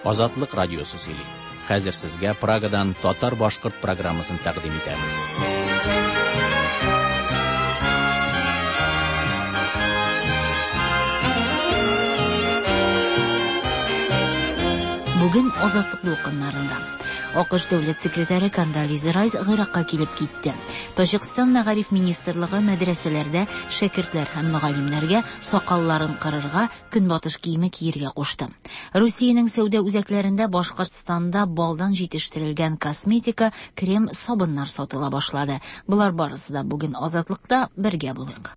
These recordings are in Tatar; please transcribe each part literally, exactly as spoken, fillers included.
Азатлык радиосы сөйли. Хәзер сезгә Прагадан татар-башкорт программасын тәкъдим итәбез. Бүген Азатлык дулкыннарында А К Ш дәүләт секретаре Кондолиза Райс Гыйракка килеп китте. Таҗикстан мәгариф министрлыгы мәдрәсәләрдә шәкертләр һәм мөгаллимнәргә сакалларын кырырга, көнбатыш киеме киергә кушты. Русиянең сәүдә үзәкләрендә Башкортстанда балдан җитештерелгән косметика, крем, сабыннар сатыла башлады. Болар барысы да бүген Азатлыкта, бергә булыйк.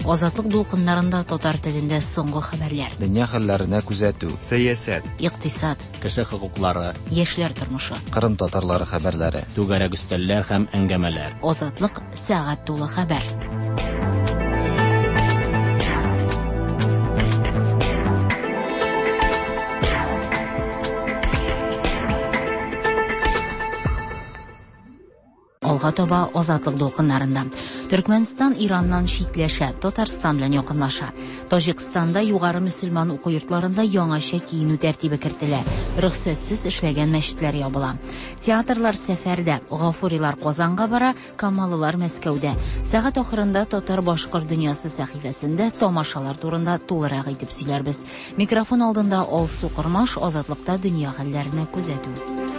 Азатлык дулкыннарында татар телендә соңгы хәбәрләр. Дөнья хәлләренә күзәтү. Сәясәт. Икътисад. Кеше хокуклары. Яшьләр тормышы. Кырым татарлары хәбәрләре. Түгәрәк өстәлләр һәм әңгәмәләр. Азатлык сәгать тулы хәбәр. Алга таба Азатлык дулкыннарында. Төркмәнстан Ираннан читләшә, Татарстан белән якынлаша. Таҗикстанда югары мөселман уку йортларында яңача киенү тәртибе кертелә. Рөхсәтсез эшләгән мәчетләр ябыла. Театрлар сәфәрдә, Гафурилар Казанга бара, Камалылар Мәскәүдә. Сәгать ахырында Татар-башкорт дөньясы сәхифәсендә тамашалар турында тулырак итеп сөйләрбез. Микрофон алдында Алсу Кормаш, Азатлыкта дөнья хәлләренә күзәтү.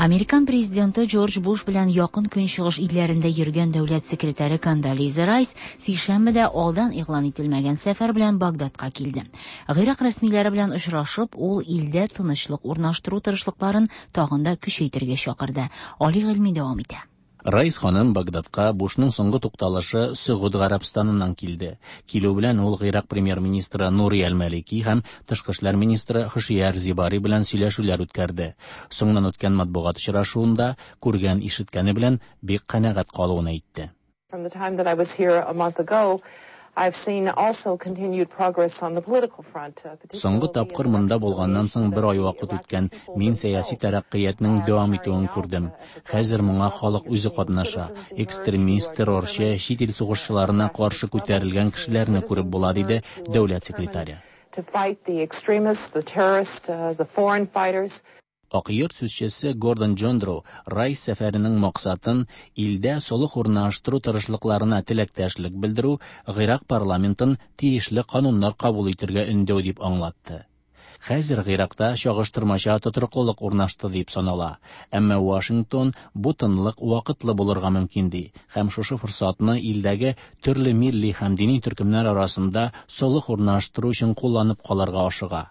Американ президенты Джордж Буш белән якын көнчыгыш илләрендә йөргән дәүләт секретаре Кондолиза Райс сишәмбедә алдан игълан ителмәгән сәфәр белән Багдадка килде. Гыйрак рәсмиләре белән очрашып, ул илдә тынычлык урнаштыру тырышлыкларын тагын да көчәйтергә чакырды. Али Гыйльми дәвам итә. Райс ханым Багдадка Бушның соңгы тукталышы Сөгуд Гарәбстаныннан килде. Килү белән ул Гыйрак премьер-министры Нури Әл-Малики һәм тышкы эшләр министры Хушияр Зибари белән сөйләшүләр үткәрде. Соңыннан үткән матбугат очрашуында күргән ишеткәне белән бик канәгать калуын әйтте. From the time that I was here a month ago, I've seen also continued progress on the political front. Соңгы тапкыр монда булганнан соң бер ай вакыт үткән. Мин сәяси тәрәккыятның дәвам итүен күрдем. Хәзер моңа халык үзе катнаша. Экстремист, террорчы, чит ил сугышчыларына каршы күтәрелгән кешеләрне күреп була, диде дәүләт секретаре. To fight the extremists, the terrorists, the foreign fighters. Ак йорт сүзчесе Гордон Джондро Райс сәфәренең максатын илдә солых урнаштыру тырышлыкларына теләктәшлек белдерү, Гыйрак парламентын тиешле кануннар кабул итергә өндәү дип аңлатты. Хәзер Гыйракта чагыштырмача тотрыклылык урнашты дип санала. Әмма Вашингтон бу тынлык вакытлы булырга мөмкин ди һәм шушы форсатны илдәге төрле милли һәм дини төркемнәр арасында солых урнаштыру өчен кулланып калырга ашыга.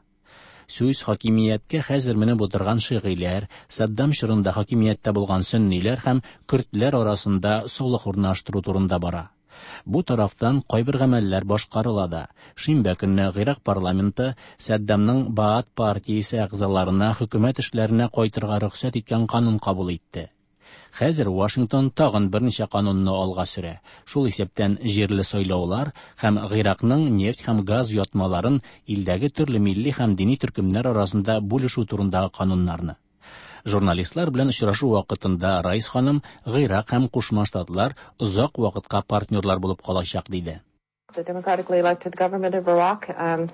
Сүз хакимияткә хәзер менеп утырган шигыйләр, Саддам чорында хакимияттә булган сөнниләр һәм көрдләр арасында солых урнаштыру турында бара. Бу тарафтан кайбер гамәлләр башкарыла да. Шимбә көнне Гыйрак парламенты Саддамның Баат партиясе әгъзаларына хөкүмәт эшләренә кайтырга рөхсәт иткән канун кабул итте. Хәзер Вашингтон тагын берничә канунны алга сөрә. Шул исәптән җирле сайлаулар һәм Гыйракның нефть һәм газ ятмаларын илдәге төрле милли һәм дини төркемнәр арасында бүлешү турындагы кануннарны. Журналистлар белән очрашу вакытында Райс ханым Гыйрак һәм Кушма Штатлар озак вакытка партнерлар булып калачак диде. The democratically elected government of Iraq, um,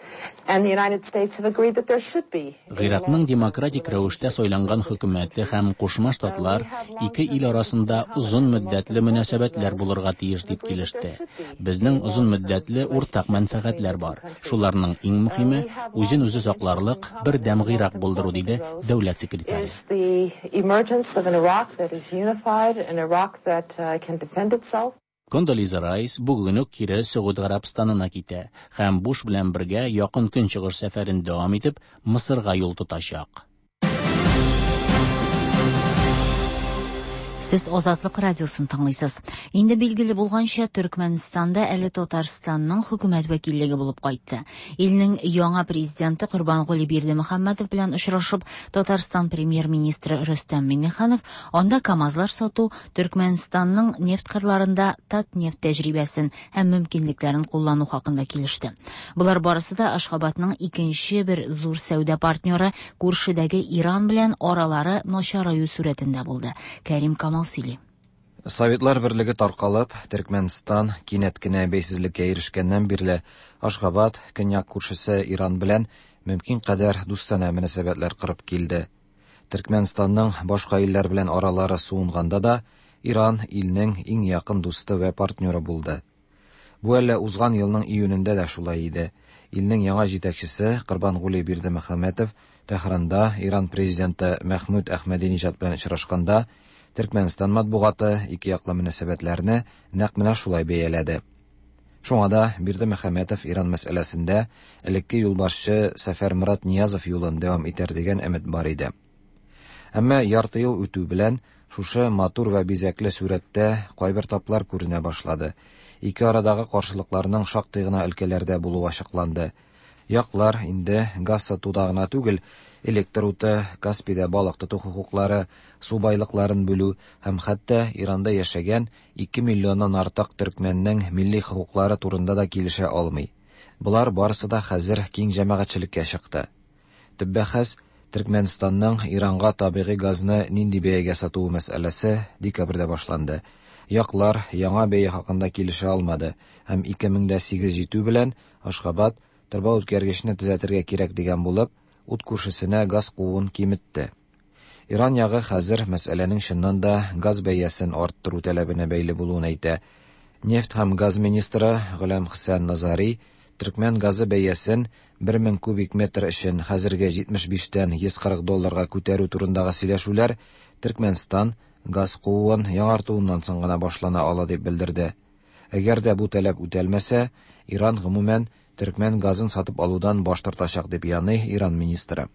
and the United States have agreed that there should be. Гыйракның демократик рәвештә сайланган хөкүмәте һәм Кушма Штатлар ике ил арасында озын мөддәтле мөнәсәбәтләр булырга тиеш дип килеште. Безнең озын мөддәтле уртак мәнфәгатьләр бар. Шуларның иң мөһиме үзен үзе сакларлык бердәм Гыйрак булдыру, диде дәүләт секретаре. Is the emergence of an Iraq that is unified, an Iraq that, uh, can defend itself. Кондолиза Райс бүген үк кире Сөгуд Гарәбстанына китә һәм Буш белән бергә якын көнчыгыш сәфәрен дәвам итеп Мысырга юл тотачак. Сез Азатлык радиосын тыңлыйсыз. Инде билгеле булганча, Төркмәнстанда әле Татарстанның хөкүмәт вәкиллеге булып кайтты. Илнең яңа президенты Корбанголи Бердымөхәммәтов белән очрашып, Татарстан премьер-министры Рөстәм Миңнеханов анда КАМАЗлар сату, Төркмәнстанның нефть кырларында Татнефть тәҗрибәсен һәм мөмкинлекләрен куллану хакында килеште. Болар барысы да Ашхабадның икенче бер зур сәүдә партнеры күршедәге Иран белән аралары начараю сурәтендә булды. Кәрим Камал сөйли. Советлар берлеге таркалып, Төркмәнстан кинәт кенә бәйсезлеккә ирешкәннән бирле Ашгабад көньяк күршесе Иран белән мөмкин кадәр дустанә мөнәсәбәтләр корып килде. Төркмәнстанның башка илләр белән аралары суынганда да Иран илнең иң якын дусты вә партнеры булды. Бу әле узган елның июнендә дә шулай иде. Илнең яңа җитәкчесе Корбангули Бердымөхәммәтов Тәһранда Иран президенты Мәхмүд Әхмәдиниҗад белән очрашканда Төркмәнстан матбугаты ике яклы мөнәсәбәтләрне нәкъ менә шулай бәяләде. Шуңа да Бердымөхәммәтов Иран мәсьәләсендә элекке юлбашчы Сәфәрмурат Ниязов юлын дәвам итәр дигән өмет бар иде. Әмма ярты ел үтү белән шушы матур вә бизәкле сурәттә кайбер таплар күренә башлады. Ике арадагы каршылыкларның шактый гына өлкәләрдә булуы ачыкланды. Яклар инде газ сатуда гына түгел, электр уты, Каспийда балык тоту хокуклары, су байлыкларын бүлү һәм хәтта Иранда яшәгән ике миллионнан артык төркмәннең милли хокуклары турында да килешә алмый. Болар барысы да хәзер киң җәмәгатьчелеккә чыкты. Төп бәхәс Төркмәнстанның Иранга табигый газны нинди бәягә сатуы мәсьәләсе декабрьдә башланды. Яклар яңа бәя хакында килешә алмады һәм ике мең дә сигез җитү белән Ашгабад торба үткәргечне төзәтергә кирәк дигән булып, ут күршесенә газ кууын киметте. Иран ягы хәзер мәсьәләнең чыннан да газ бәясен арттыру таләбенә бәйле булуын әйтә. Нефть һәм газ министры Гөләм Хөсән Назари төркмән газы бәясен бер мең кубик метр өчен хәзерге җитмеш биштән йөз кырык долларга күтәрү турындагы сөйләшүләр Төркмәнстан газ кууын яңартуыннан соң гына башлана ала дип белдерде. Әгәр дә бу таләп үтәлмәсә, Иран гомумән төркмән газын сатып алудан баш тартачак дип яный Иран министры.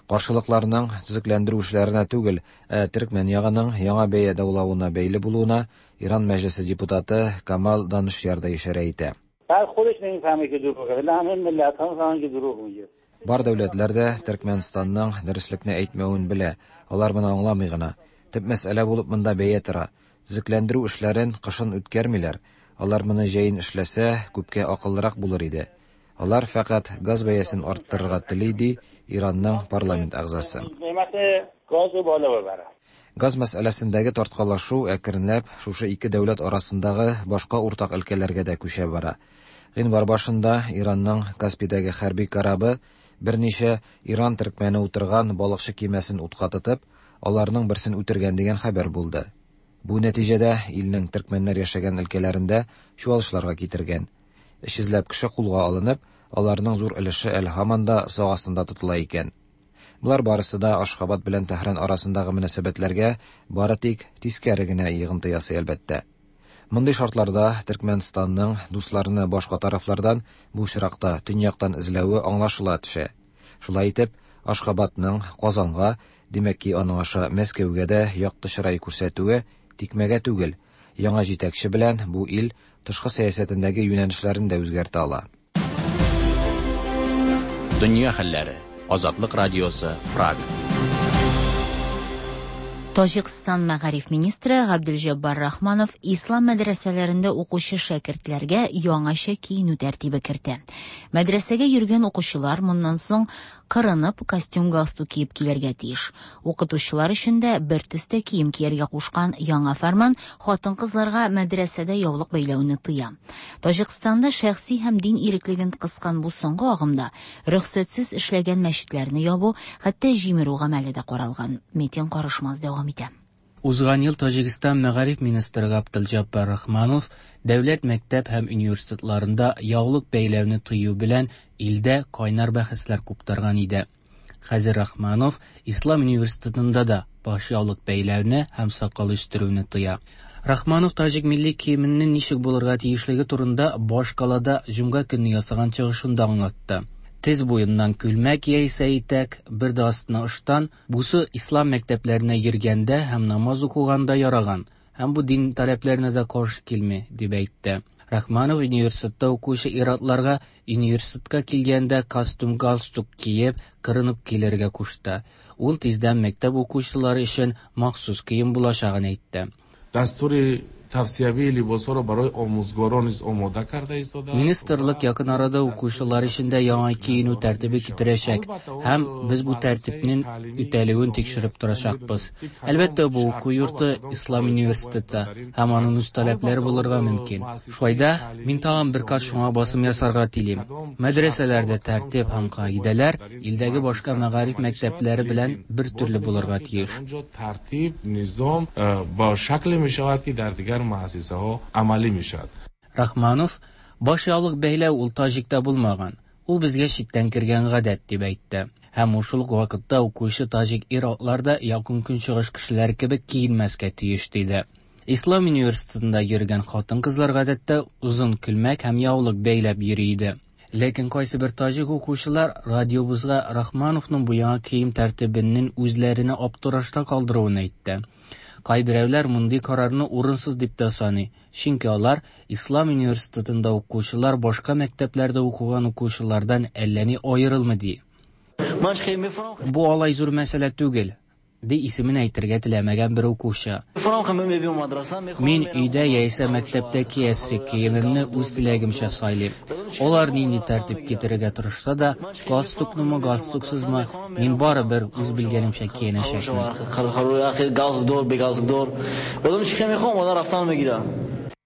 Каршылыкларның төзекләндерү эшләренә түгел, ә төркмән ягының яңа бәя даулавына бәйле булуына Иран мәҗлесе депутаты Камал Данышяр да ишарә итә. Бар дәүләтләр дә Төркмәнстанның дөреслекне әйтмәвен белә, алар моны аңламый гына. Төп мәсьәлә булып монда бәя тора. Төзекләндерү эшләрен кышын үткәрмиләр. Алар моны җәен эшләсә, күпкә акыллырак булыр иде. Алар фәкать газ бәясен арттырырга тели, ди Иранның парламент әгъзасы. Газ мәсьәләсендәге тарткалашу әкренләп шушы ике дәүләт арасындагы башка уртак өлкәләргә дә күчә бара. Гыйнвар башында Иранның Каспийдәге хәрби корабы берничә Иран төркмәне утырган балыкчы кимәсен утка тотып, аларның берсен үтергән дигән хәбәр булды. Бу нәтиҗәдә илнең төркмәннәр яшәгән өлкәләрендә чуалышларга китергән. Өч йөзләп кеше кулга алынып, аларның зур өлеше әле һаман да сак астында тотыла икән. Болар барысы да Ашхабад белән Тәһран арасындагы мөнәсәбәтләргә бары тик тискәре генә йогынты ясый әлбәттә. Мондый шартларда Төркмәнстанның дусларны башка тарафлардан, бу очракта төньяктан эзләве аңлашыла төшә. Шулай итеп, Ашхабадның Казанга, димәк ки, аның аша Мәскәүгә дә якты чырай күрсәтүе тикмәгә түгел. Яңа җитәкче белән бу ил тышкы сәясәтендәге юнәлешләрен дә үзгәртә ала. Дөнья хәлләре. Азатлык радиосы, Прага. Таҗикстан мәгариф министры Габделҗаббар Рахманов ислам мәдрәсәләрендә укучы шәкертләргә яңача киенү тәртибе кертә. Мәдрәсәгә йөргән укучылар моннан соң кырынып костюм галстук киеп килергә тиеш. Укытучылар өчен дә бер төстә кием кияргә кушкан яңа фәрман хатын-кызларга мәдрәсәдә яулык бәйләүне тыя. Таҗикстанда шәхси һәм дин иреклеген кыскан бу соңгы агымда рөхсәтсез эшләгән мәчетләрне ябу, хәтта җимерү гамәле дә каралган. Метин Карышмаз дәвам итә. Узган ел Таҗикстан мәгариф министры Габделҗаббар Рахманов дәүләт мәктәп һәм университетларында яулык бәйләүне тыю белән илдә кайнар бәхәсләр куптарган иде. Хәзер Рахманов Ислам университетында да баш яулык бәйләүне һәм сакал үстерүне тыя. Рахманов таҗик милли киеменең ничек булырга тиешлеге турында баш калада җомга көнне ясаган чыгышында аңлатты. Тез буеннан күлмәк яисә итәк, бер дә астына ыштан, бусы ислам мәктәпләренә йөргәндә һәм намаз укыганда яраган, һәм бу дин таләпләренә дә каршы килми, дип әйтте. Рахманов университетта укучы ир-атларга университетка килгәндә костюм галстук киеп, кырынып килергә кушты. Ул тиздән мәктәп укучылары өчен махсус кием булачагын әйтте. Дастури Тавсиявии либосҳоро барои омӯзгорон низ омода карда истодааст. Министрлык якын арада укучылар өчен дә яңа киенү тәртибе китерәчәк һәм без бу тәртипнең үтәлүен тикшереп торачакбыз. Әлбәттә, бу уку йорты Ислам университеты һәм аның үз таләпләре булырга мөмкин. Шулай да мин тагын бер кат шуңа басым ясарга телим. Мәдрәсәләрдә тәртип һәм кагыйдәләр илдәге башка мәгариф мәктәпләре белән бер төрле булырга тиеш. Тартиб, низом ба шакле мешавад ки дар дигар муассисаҳо амалӣ мешавад. Рахманов баш яулык бәйләү ул таҗикта булмаган. Ул безгә читтән кергән гадәт дип әйтте. Һәм ул шул ук вакытта укучы таҗик ир-атлар да якын көнчыгыш кешеләре кебек киенмәскә тиеш диде. Ислам университетында йөргән хатын-кызлар гадәттә озын күлмәк һәм яулык бәйләп йөри иде. Ләкин кайсы бер таҗик укучылар радиобызга Рахмановның бу яңа кием тәртибенең үзләренә аптырашта калдыруын әйтте. Кайберәүләр мондый карарны урынсыз дип тә саный, чөнки алар Ислам университетында укучылар башка мәктәпләрдә укыган укучылардан әллә ни аерылмый ди. Бу алай зур мәсьәлә түгел, ди исемен әйтергә теләмәгән бер укучы. Мин өйдә яисә мәктәптә киясе киемемне үз теләгемчә сайлыйм. Алар нинди тәртип китерергә тырышса да, галстукнымы, галстуксызмы, мин барыбер үз белгәнемчә киенәчәкмен.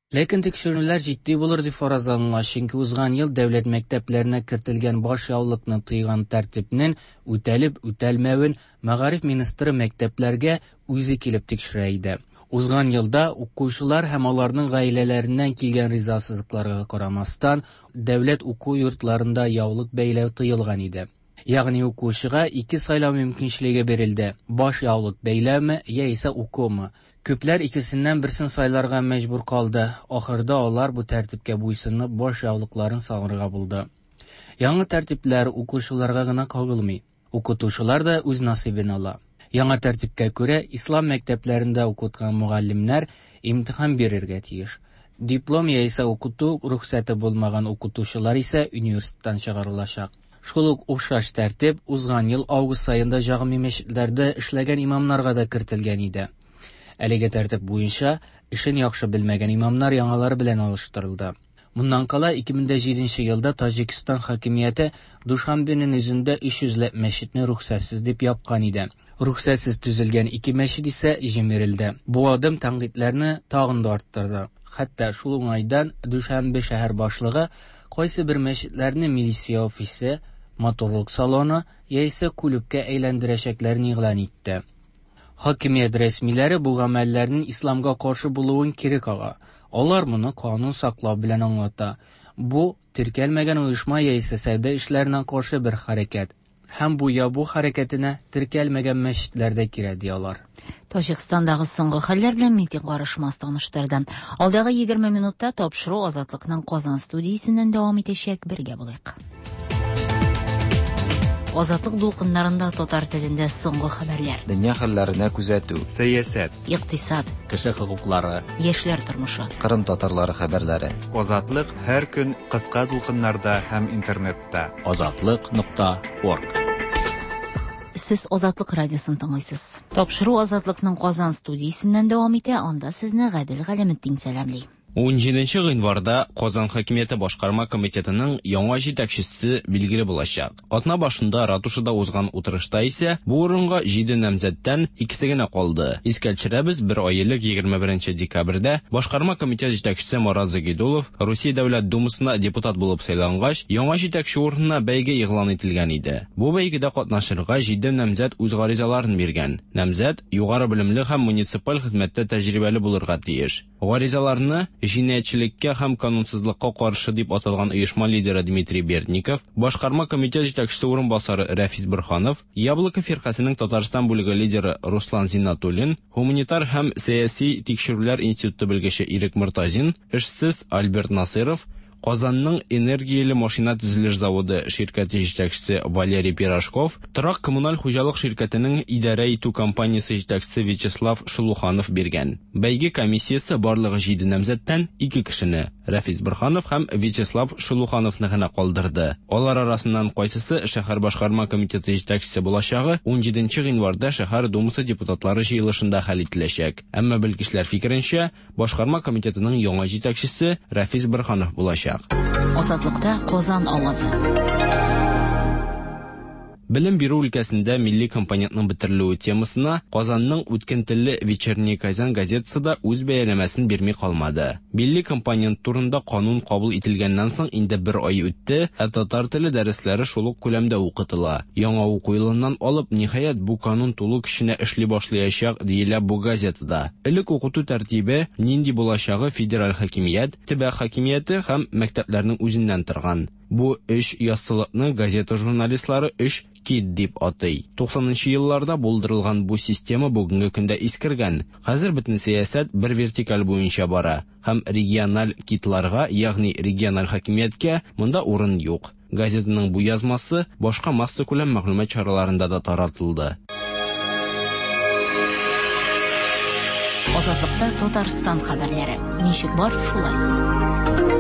Ләкин тикшерүләр җитди булыр дип фаразланыла, чөнки узган ел дәүләт мәктәпләренә кертелгән баш яулыкны тыйган тәртипнең үтәлеп үтәлмәвен мәгариф министры мәктәпләргә үзе килеп тикшерә иде. Узган елда укучылар һәм аларның гаиләләреннән килгән ризасызлыкларга карамастан, дәүләт уку йортларында яулык бәйләү тыелган иде. Ягъни укучыга ике сайлау мөмкинчелеге бирелде: баш яулык бәйләүме яисә укумы. Күпләр икесеннән берсен сайларга мәҗбүр калды. Ахырда алар бу тәртипкә буйсынып баш яулыкларын салырга булды. Яңа тәртипләр укучыларга гына кагылмый. Укытучылар да үз насыйбын ала. Яңа тәртипкә күрә, ислам мәктәпләрендә укыткан мөгаллимнәр имтихан бирергә тиеш. Диплом яисә укыту рөхсәте булмаган укытучылар исә университеттан чыгарылачак. Шул ук охшаш тәртип узган ел август аенда җәмгый мәчетләрдә эшләгән имамнарга да кертелгән иде. Әлеге тәртип буенча эшен яхшы белмәгән имамнар яңалары белән алыштырылды. Моннан кала ике мең җиденче елда Таҗикстан хакимияте Душанбеның үзендә өч йөзләп мәчетне рөхсәтсез дип япкан иде. Рөхсәтсез төзелгән ике мәчет исә җимерелде. Бу адым тәнкыйтьләрне тагын да арттырды. Хәтта шул уңайдан Душанбе шәһәр башлыгы кайсы бер мәчетләрне милиция офисы, матурлык салоны яисә клубка әйләндерәчәкләрен игълан итте. Хакимият рәсмиләре бу гамәлләрнең исламга каршы булуын кире кага. Алар моны канун саклау белән аңлата. Бу теркәлмәгән оешма яисә сәүдә эшләренә каршы бер хәрәкәт. Һәм бу ябу хәрәкәтенә теркәлмәгән мәчетләр дә кирә, ди алар. Таҗикстандагы соңгы хәлләр белән Митин Карышмас таныштырды. Алдагы егерме минутта тапшыру Азатлыкның Казан студиясеннән дәвам итәчәк. Бергә булыйк. Азатлык дулкыннарында татар телендә соңгы хәбәрләр. Дөнья хәлләренә күзәтү. Сәясәт. Икътисад. Кеше хокуклары. Яшьләр тормышы. Кырым татарлары хәбәрләре. Азатлык һәр көн кыска дулкыннарда һәм интернетта. Азатлык нокта орг. Сез Азатлык радиосын тыңлыйсыз. Тапшыру Азатлыкның Казан студиясеннән дәвам итә. Анда сезне Гадел Галәметдин сәламли. Унҗиденче гыйнварда Казан хакимияте башкарма комитетының яңа җитәкчесе билгеле булачак. Атна башында ратушада узган утырышта исә бу урынга җиде намзәттән икесе генә калды. Искә төшерәбез, бер ай элек егерме беренче декабрьдә башкарма комитет җитәкчесе Марат Загидулов Русия дәүләт думасына депутат булып сайлангач, яңа җитәкче урынына бәйге игълан ителгән иде. Бу бәйгедә катнашырга җиде намзәт үз гаризаларын биргән. Намзәт югары белемле һәм муниципаль хезмәттә тәҗрибәле булырга тиеш. Гаризаларны җинаятьчелеккә һәм канунсызлыкка каршы дип аталган оешма лидеры Дмитрий Бердников, башкарма комитет җитәкчесе урынбасары Рәфис Борһанов, Яблоко фиркасының Татарстан бүлеге лидеры Руслан Зиннатуллин, гуманитар һәм сәяси тикшерүләр институты белгече Ирек Мортазин, эшсез Альберт Насыров, Казанның энергияле машина төзелеш заводы ширкәте җитәкчесе Валерий Пирожков, торак коммуналь хуҗалык ширкәтенең идарә итү компаниясе җитәкчесе Вячеслав Шелуханов биргән. Бәйге комиссиясе барлыгы җиде намзәттән ике кешене Рафис Борһанов һәм Вячеслав Шелухановны гына калдырды. Алар арасыннан кайсысы шәһәр башкарма комитеты җитәкчесе булачагы унҗиденче гыйнварда шәһәр думасы депутатлары җыелышында хәл ителәчәк. Әмма белгечләр фикеренчә, башкарма комитетының яңа җитәкчесе Рафис Борһанов булачак. Азатлыкта Казан авазы. Белем бирү өлкәсендә милли компонентның бетерелүе темасына Казанның үткен телле Вечерний Казан газетасы да үз бәяләмәсен бирми калмады. Милли компонент турында канун кабул ителгәннән соң инде бер ай үтте, ә татар теле дәресләре шул ук күләмдә укытыла. Яңа уку елыннан алып, ниһаять, бу канун тулы көченә эшли башлаячак, диелә бу газетада. Элек укыту тәртибе нинди булачагы федераль хакимият, төбәк хакимияте һәм мәктәпләрнең үзеннән торган. Бу өч яссылыкны газета журналистлары өч кит дип атый. Туксанынчы елларда булдырылган бу система бүгенге көндә искергән. Хәзер бөтен сәясәт бер вертикаль буенча бара һәм региональ китларга, ягъни региональ хакимияткә монда урын юк. Газетаның бу язмасы башка массакүләм мәгълүмат чараларында да таратылды. Азатлыкта Татарстан хәбәрләре. Ничек бар, шулай.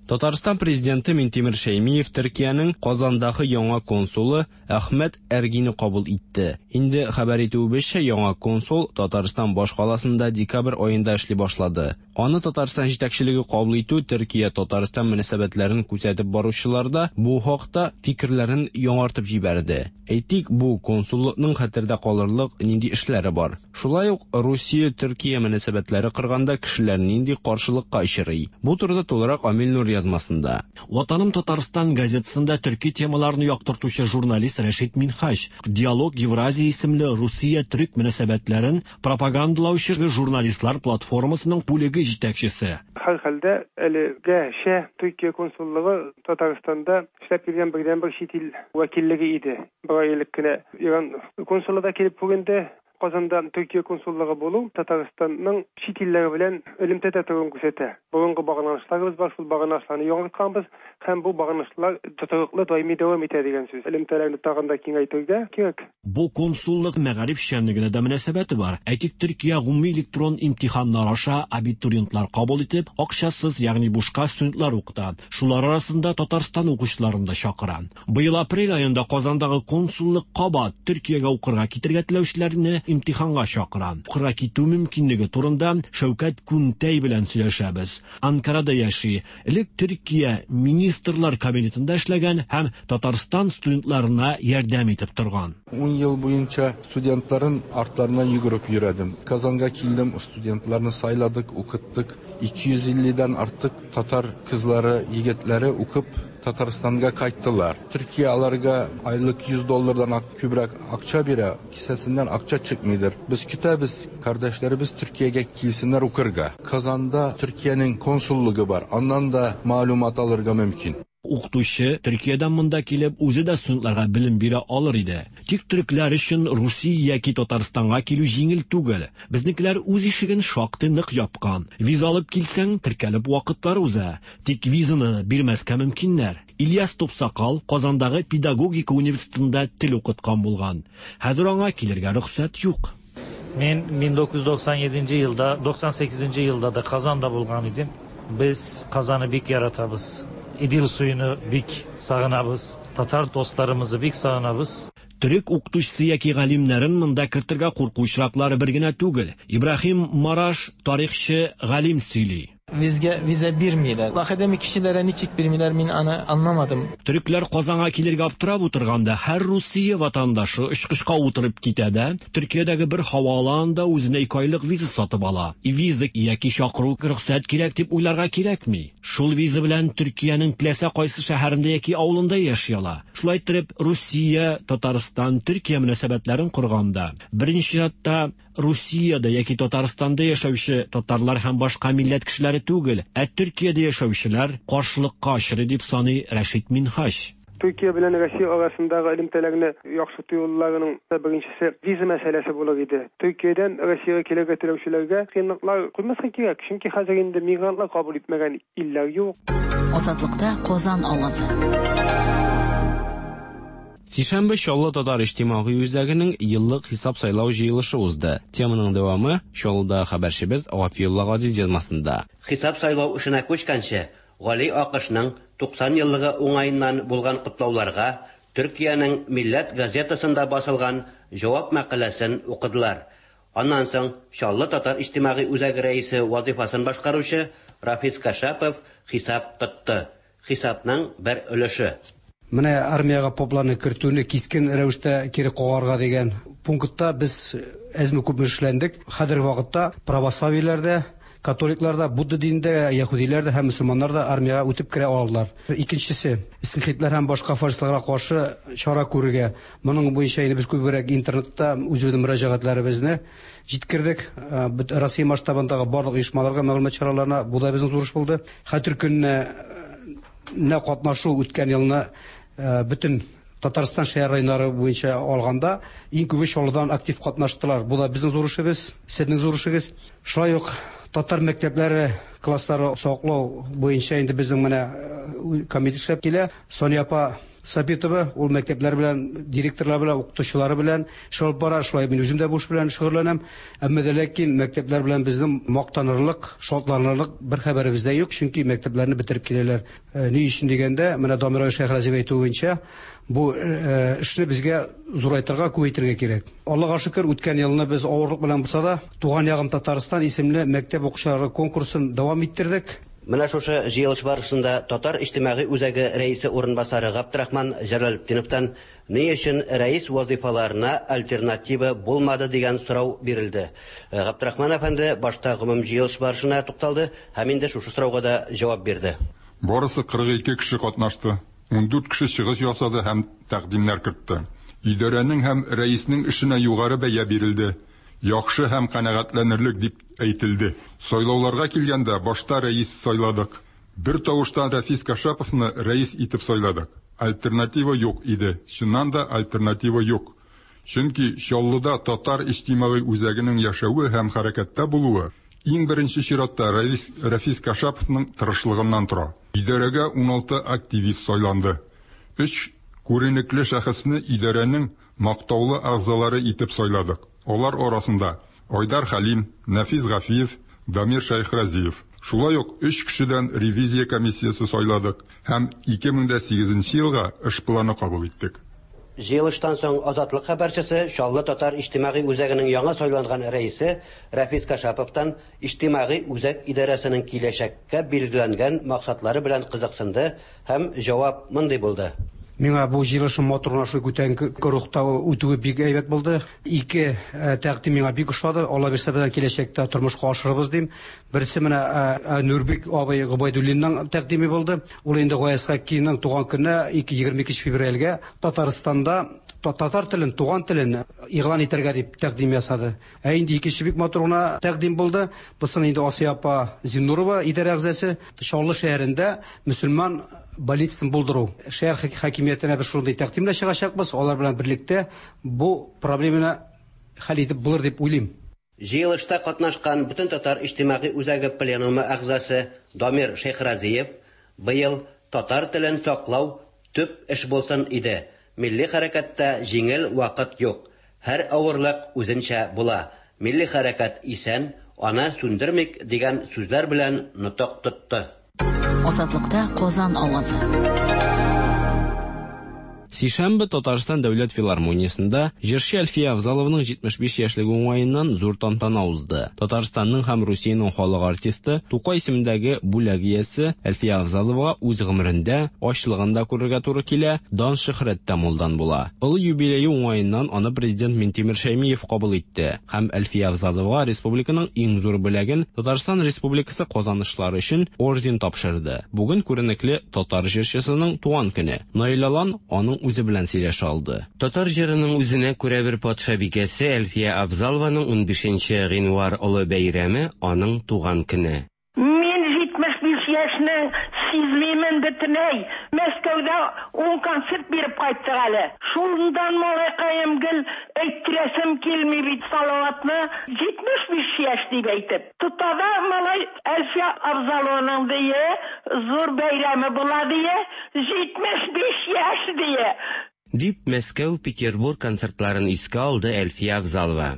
Татарстан президенты Минтимер Шәймиев Төркиянең Казандагы яңа консулы Әхмәт Әргине кабул итте. Инде хәбәр итүебезчә, яңа консул Татарстан башкаласында декабрь аенда эшли башлады. Аны Татарстан җитәкчелеге кабул итү Төркия-Татарстан мөнәсәбәтләрен күзәтеп баручылар да бу хакта фикерләрен яңартып җибәрде. Әйтик, бу консуллыкның хәтердә калырлык нинди эшләре бар. Шулай ук Русия-Төркия мөнәсәбәтләре кырганда кешеләр нинди каршылыкка очрый. Бу турыда тулырак Амил Нур язмасында. Ватаным Татарстан газетасында төрки темаларны яктыртучы журналист Рәшит Минһаҗ Диалог Евразия исемле Русия-Төрек мөнәсәбәтләрен пропагандалаучы журналистлар платформасының бүлеге җитәкчесе. Һәр хәлдә әлегәчә Төркия консуллыгы Татарстанда эшләп килгән бердәнбер чит ил вәкиллеге иде. Бер ай элек кенә Иран консулы да килеп күренде. Казанда Төркия консуллыгы булу Татарстанның чит илләре белән элемтәдә торуын күрсәтә. Борынгы багланышларыбыз бар, шул багланышларны яңартканбыз һәм бу багланышлар тотрыклы даими дәвам итә дигән сүз. Элемтәләрне тагын да киңәйтергә кирәк. Бу консуллык мәгариф эшчәнлегенә дә мөнәсәбәте бар. Әйтик, Төркия гомуми электрон имтиханнар аша абитуриентлар кабул итеп, акчасыз, ягъни бушка студентлар укыта. Шулар арасында Татарстан укучыларын да чакыра. Быел апрель аенда Казандагы консуллык кабат Төркиягә укырга китергә теләүчеләрне имтиханга чакыра. Укырга китү мөмкинлеге турында Шәүкәт Күнтәй белән сөйләшәбез. Анкарада яши. Элек Төркия Министрлар Кабинетында эшләгән һәм Татарстан студентларына ярдәм итеп торган. Ун ел буенча студентларын артларынан йөгереп йөрдем. Казанга килдем, студентларны сайладык, укыттык. ике йөз илледән артык татар кызлары, егетләре укып Татарстанга кайттылар. Төркия аларга айлык йөз доллардан күбрәк акча бирә, кесәсеннән акча чыкмыйдыр. Без көтәбез, кардәшләребез Төркиягә килсеннәр укырга. Казанда Төркиянең консуллыгы бар, аннан да мәгълүмат алырга мөмкин. Укытучы Төркиядән монда килеп, үзе дә студентларга белем бирә алыр иде. Тик төрекләр өчен Русия яки Татарстанга килү җиңел түгел. Безнекеләр үз ишеген шактый нык япкан. Виза алып килсәң, теркәлеп вакытлар уза. Тик визаны бирмәскә мөмкиннәр. Ильяс Тупсакал Казандагы педагогика университетында тел укыткан булган. Хәзер аңа килергә рөхсәт юк. Мин мең тугыз йөз туксан җиденче елда, туксан сигезенче елда да Казанда булган идем. Без Казанны бик яратабыз. Идел суюну бик сагынабыз. Татар достарыбызны бик сагынабыз. Төрек укытучысы яки галимнәрен монда кертергә курку очраклары бер генә түгел. Ибраһим Мараш тарихчы галим сөйли. Bizge vize birmiler. Akademik kişilere niçik birmiler min ana anlamadım. Төрекләр Казанга килергә аптырап утырганда һәр Русия ватандашы очкычка утырып китә дә, Төркиядәге бер һаваланда үзенә ике айлык виза сатып ала. Виза яки чакыру рөхсәт кирәк дип уйларга кирәкми. Шул виза белән Төркиянең теләсә кайсы шәһәрендә яки авылында яши ала. Шулай итеп, Русия, Татарстан, Төркия мөнәсәбәтләрен корганда, беренче чиратта Русиядә яки Татарстанда яшәүче татарлар һәм башка милләт кешеләре түгел, ә Төркиядә яшәүчеләр каршылыкка очрый дип саный Рәшит Минһаҗ. Төркия белән Россия арасындагы элемтәләрне яхшырту юлларының беренчесе виза мәсьәләсе булыр иде. Төркиядән Россиягә килергә теләүчеләргә кыенлыклар куймаска кирәк, чөнки хәзер инде мигрантлар кабул итмәгән илләр юк. Азатлыкта Казан авазы. Сишәмбе Чаллы татар иҗтимагый үзәгенең еллык хисап сайлау җыелышы узды. Теманың дәвамы Чаллыда хәбәрчебез Гафиулла Газиз язмасында. Хисап сайлау эшенә күчкәнче, Гали Акышның туксан еллыгы уңаеннан булган котлауларга Төркиянең Милләт газетасында басылган җавап мәкаләсен укыдылар. Аннан соң Чаллы татар иҗтимагый үзәге рәисе вазифасын башкаручы Рафис Кашапов хисап тотты. Хисапның бер өлеше. Менә армиягә попларны кертүне кискен рәвештә кире кагарга дигән пунктта без әзме күпме эшләндек. Хәзерге вакытта православиеләрдә, католикларда, будда динендә, яһүдиләрдә һәм мөселманнарда армиягә үтеп керә алалар. Икенчесе, скинхедлар һәм башка фашистларга каршы чара күрергә. Моның буенча инде без күбрәк интернетта үзебезнең мөрәҗәгатьләребезне җиткердек. Россия масштабындагы барлык оешмаларга, мәгълүмат чараларына бу да безнең зур эш булды. Хәтер көненә нә катнашу үткән елны бөтен Татарстан шәһәр районнары буенча алганда иң күбе Чаллыдан актив катнаштылар. Бу да безнең зур эшебез, сезнең зур эшегез. Шулай ук татар мәктәпләре класслары саклау буенча инде безнең менә комитет эшләп килә. Соня апа Сабитова ул мәктәпләр белән, директорлар белән, укытучылары белән шөгыль бара. Шулай мин үзем дә бу эш белән шөгыльләнәм. Әмма дә ләкин мәктәпләр белән безнең мактанырлык, шатланырлык бер хәбәребез дә юк, чөнки мәктәпләрне бетереп киләләр. Ни өчен дигәндә, менә Дамир Шәйхразиев әйтүе буенча, бу эшне безгә зурайтырга, күбәйтергә кирәк. Аллага шөкер, үткән елны без авырлык белән булса да, Туган ягым Татарстан исемле мәктәп укучылары конкурсын дәвам иттердек. Менә шушы җыелыш барышында Татар иҗтимагый үзәге рәисе урынбасары Габдрахман Җәләлетдиновтан ни өчен рәис вазифаларына альтернатива булмады дигән сорау бирелде. Габдрахман әфәнде башта гомум җыелыш барышына тукталды һәм инде шушы сорауга да җавап бирде. Барысы кырык ике кеше катнашты. ун дүрт кеше чыгыш ясады һәм тәкъдимнәр кертте. Идарәнең һәм рәиснең эшенә югары бәя бирелде. Яхшы һәм канәгатьләнерлек дип әйтелде. Сайлауларга килгәндә башта рәис сайладык. Бер тавыштан Рафис Кашаповны рәис итеп сайладык. Альтернатива юк иде. Чыннан да альтернатива юк. Чөнки Чаллыда татар иҗтимагый үзәгенең яшәве һәм хәрәкәттә булуы иң беренче чиратта рәис Рафис Кашаповның тырышлыгыннан тора. Идарәгә ун алты активист сайланды. Өч күренекле шәхесне идарәнең мактаулы әгъзалары итеп сайладык. Алар арасында Айдар Хәлим, Нәфис Гафиев, Дамир Шәйхразиев. Шулай ук өч кешедән ревизия комиссиясе сайладык һәм ике мең дә сигезенче елга эш планы кабул иттек. Җыелыштан соң Азатлык хәбәрчесе Чаллы татар иҗтимагый үзәгенең яңа сайланган рәисе Рафис Кашаповтан иҗтимагый үзәк идарәсенең киләчәккә билгеләнгән максатлары белән кызыксынды һәм җавап мондый булды. Миңа бу җыелышның матур гына шул күтәренке рухта үтүе бик әйбәт булды. Ике тәкъдим миңа бик ошады. Алла бирсә, безнең киләчәктә тормышка ашырыбыз дим. Берсе менә Нурбек абый Гобайдуллинның тәкъдиме булды. Ул инде Гаяз Хаккиның туган көненә егерме икенче февральгә Татарстанда татар телен, туган телен игълан итәргә дип тәкъдим ясады. Ә инде икенче бик матур гына тәкъдим булды. Бусын инде Асия апа Зиннурова идарә әгъзасы Чаллы шәһәрендә мөселман больницасын булдыру. Шәһәр хакимиятенә без шундый тәкъдим белән чыгачакбыз. Алар белән берлектә бу проблеманы хәл итеп булыр дип уйлыйм. Җыелышта катнашкан бөтен татар иҗтимагый үзәге пленумы әгъзасы Дамир Шәйхразиев быел татар телен саклау төп эш булсын иде. Милли хәрәкәттә җиңел вакыт юк. Һәр авырлык үзенчә була. Милли хәрәкәт исән, аны сүндермик дигән сүзләр белән нотык тотты. Азатлыкта Казан авазы. Сишәмбе Татарстан дәүләт филармониясендә җырчы Әлфия Авзалованың җитмеш биш яшьлеге уңаеннан зур тантана узды. Татарстанның һәм Русиянең халык артисты Тукай исемендәге бүләк иясе Әлфия Авзаловага үз гомерендә ачлыгын да күрергә туры килә, дан шөһрәт тә мулдан була. Олы юбилее уңаеннан аны президент Минтимер Шәймиев кабул итте һәм Әлфия Авзаловага республиканың иң зур бүләген Татарстан Республикасы казанышлары өчен орден тапшырды. Бүген күренекле татар җырчысының туган көне. Наил Алан аның үзе белән сөйләшә алды. Татар җырының үзенә күрә бер патшабикәсе Әлфия Авзалованың унбишенче гыйнвар олы бәйрәме аның туган көне. Мин җитмеш биш яшьне сизмимен бөтенләй. Мәскәүдә Ун концерт биреп кайттык әле. Шундан малайкаем гел әйттерәсем килми бит Салаватны җитмеш биш яшь дип әйтеп. Тота да малай Әлфия Авзалованың дие, зур бәйрәме була дие, җитмеш биш яшь дие. Дип Мәскәү, Петербург концертларын искә алды Әлфия Авзалова.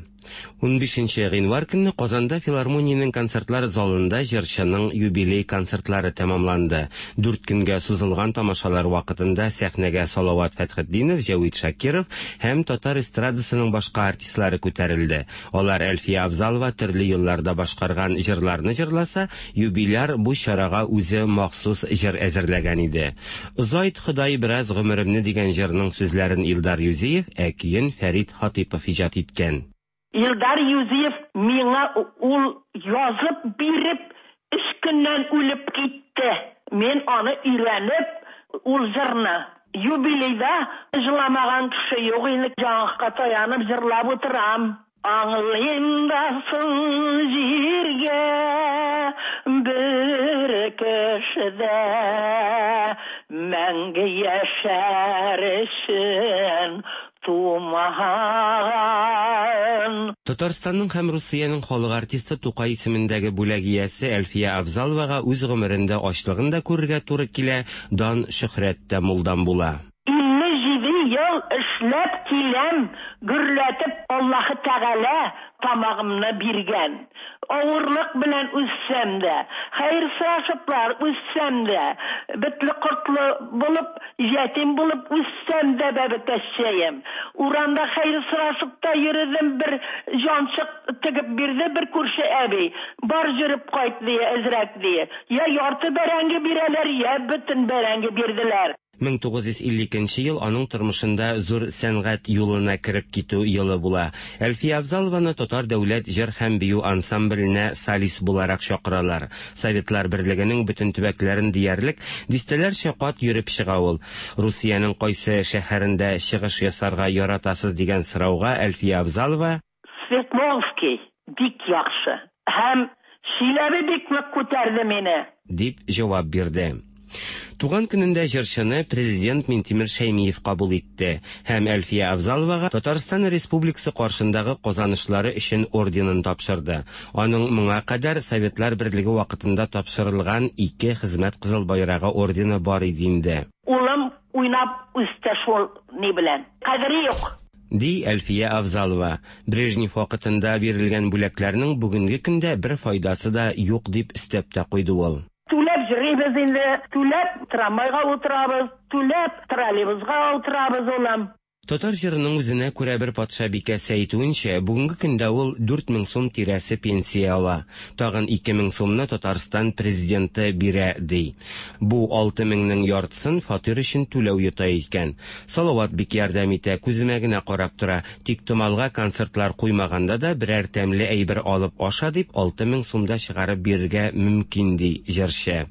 Унбишенче гыйнвар көнне Казанда филармониянең концертлар залында җырчының юбилей концертлары тәмамланды. Дүрт көнгә сузылган тамашалар вакытында сәхнәгә Салават Фәтхетдинов, Җәвит Шакиров һәм татар эстрадасының башка артистлары күтәрелде. Алар Әлфия Авзалова төрле елларда башкарган җырларны җырласа, юбиляр бу чарага үзе махсус җыр әзерләгән иде. Озайт Ходай бераз гомеремне дигән җырның сүзләрен Илдар Юзиев, ә көен Фәрит Хатипов иҗат иткән. Илдар Юзиев миңа ул язып биреп, өч көннән үлеп китте. Мин аны өйрәнеп, ул җырны юбилейда җырламаган кеше юк инде, җаңакка таянып җырлап утырам. Аңлыйм да соң җиргә бер кешедә мәңге яшәр өчен тумаган. Татарстанның һәм Русиянең халык артисты Тукай исемендәге бүләк иясе Әлфия Авзаловага үз гомерендә ачлыгын да күрергә туры килә, дан шөһрәт тә мулдан була. Илле җиде ел эшләп киләм, гөрләтеп Аллаһы Тәгалә тамагымны биргән. Авырлык белән үссәм дә, хәер сорашыплар үссәм дә, бетле кортлы булып, ятим булып үссәм дә бәбекәчәем. Урамда хәер сорашып та йөрдем, бер җанчык тегеп бирде бер күрше әби. Бар йөреп кайт дие, әзрәк дие. Я ярты бәрәңге бирәләр, я бөтен бәрәңге бирделәр. мең тугыз йөз илле икенче ел аның тормышында зур сәнгать юлына кереп китү елы була. Әлфия Авзалованы Татар дәүләт җыр һәм бию ансамбленә солист буларак чакыралар. Советлар Берлегенең бөтен төбәкләрен диярлек дистәләрчә кат йөреп чыга ул. Русиянең кайсы шәһәрендә чыгыш ясарга яратасыз дигән сорауга Әлфия Авзалова: Свердловский бик яхшы һәм Чиләбе бик нык күтәрде мине, дип җавап бирде. Туган көнендә җырчыны президент Минтимер Шәймиев кабул итте һәм Әлфия Авзаловага Татарстан Республикасы каршындагы казанышлары өчен орденын тапшырды. Аның моңа кадәр Советлар Берлеге вакытында тапшырылган ике хезмәт кызыл байрагы ордены бар иде инде. Улым уйнап үсте шул ни белән. Кадере юк, ди Әлфия Авзалова. Брежнев вакытында бирелгән бүләкләрнең бүгенге көндә бер файдасы да юк дип өстәп тә куйды ул. Түләп йөрибез инде, түләп трамвайга утырабыз, түләп троллейбусга утырабыз, улым. Татар җырының үзенә күрә бер патша бикәсе әйтүенчә, бүгенге көндә ул дүрт мең сум тирәсе пенсия ала. Тагын ике мең сумны Татарстан президенты бирә, ди. Бу алты меңнең яртысын фатир өчен түләү йота икән. Салават бик ярдәм итә, күземә генә карап тора. Тик томалга концертлар куймаганда да берәр тәмле әйбер алып аша дип алты мең сумда чыгарып бирергә мөмкин, ди җырчы.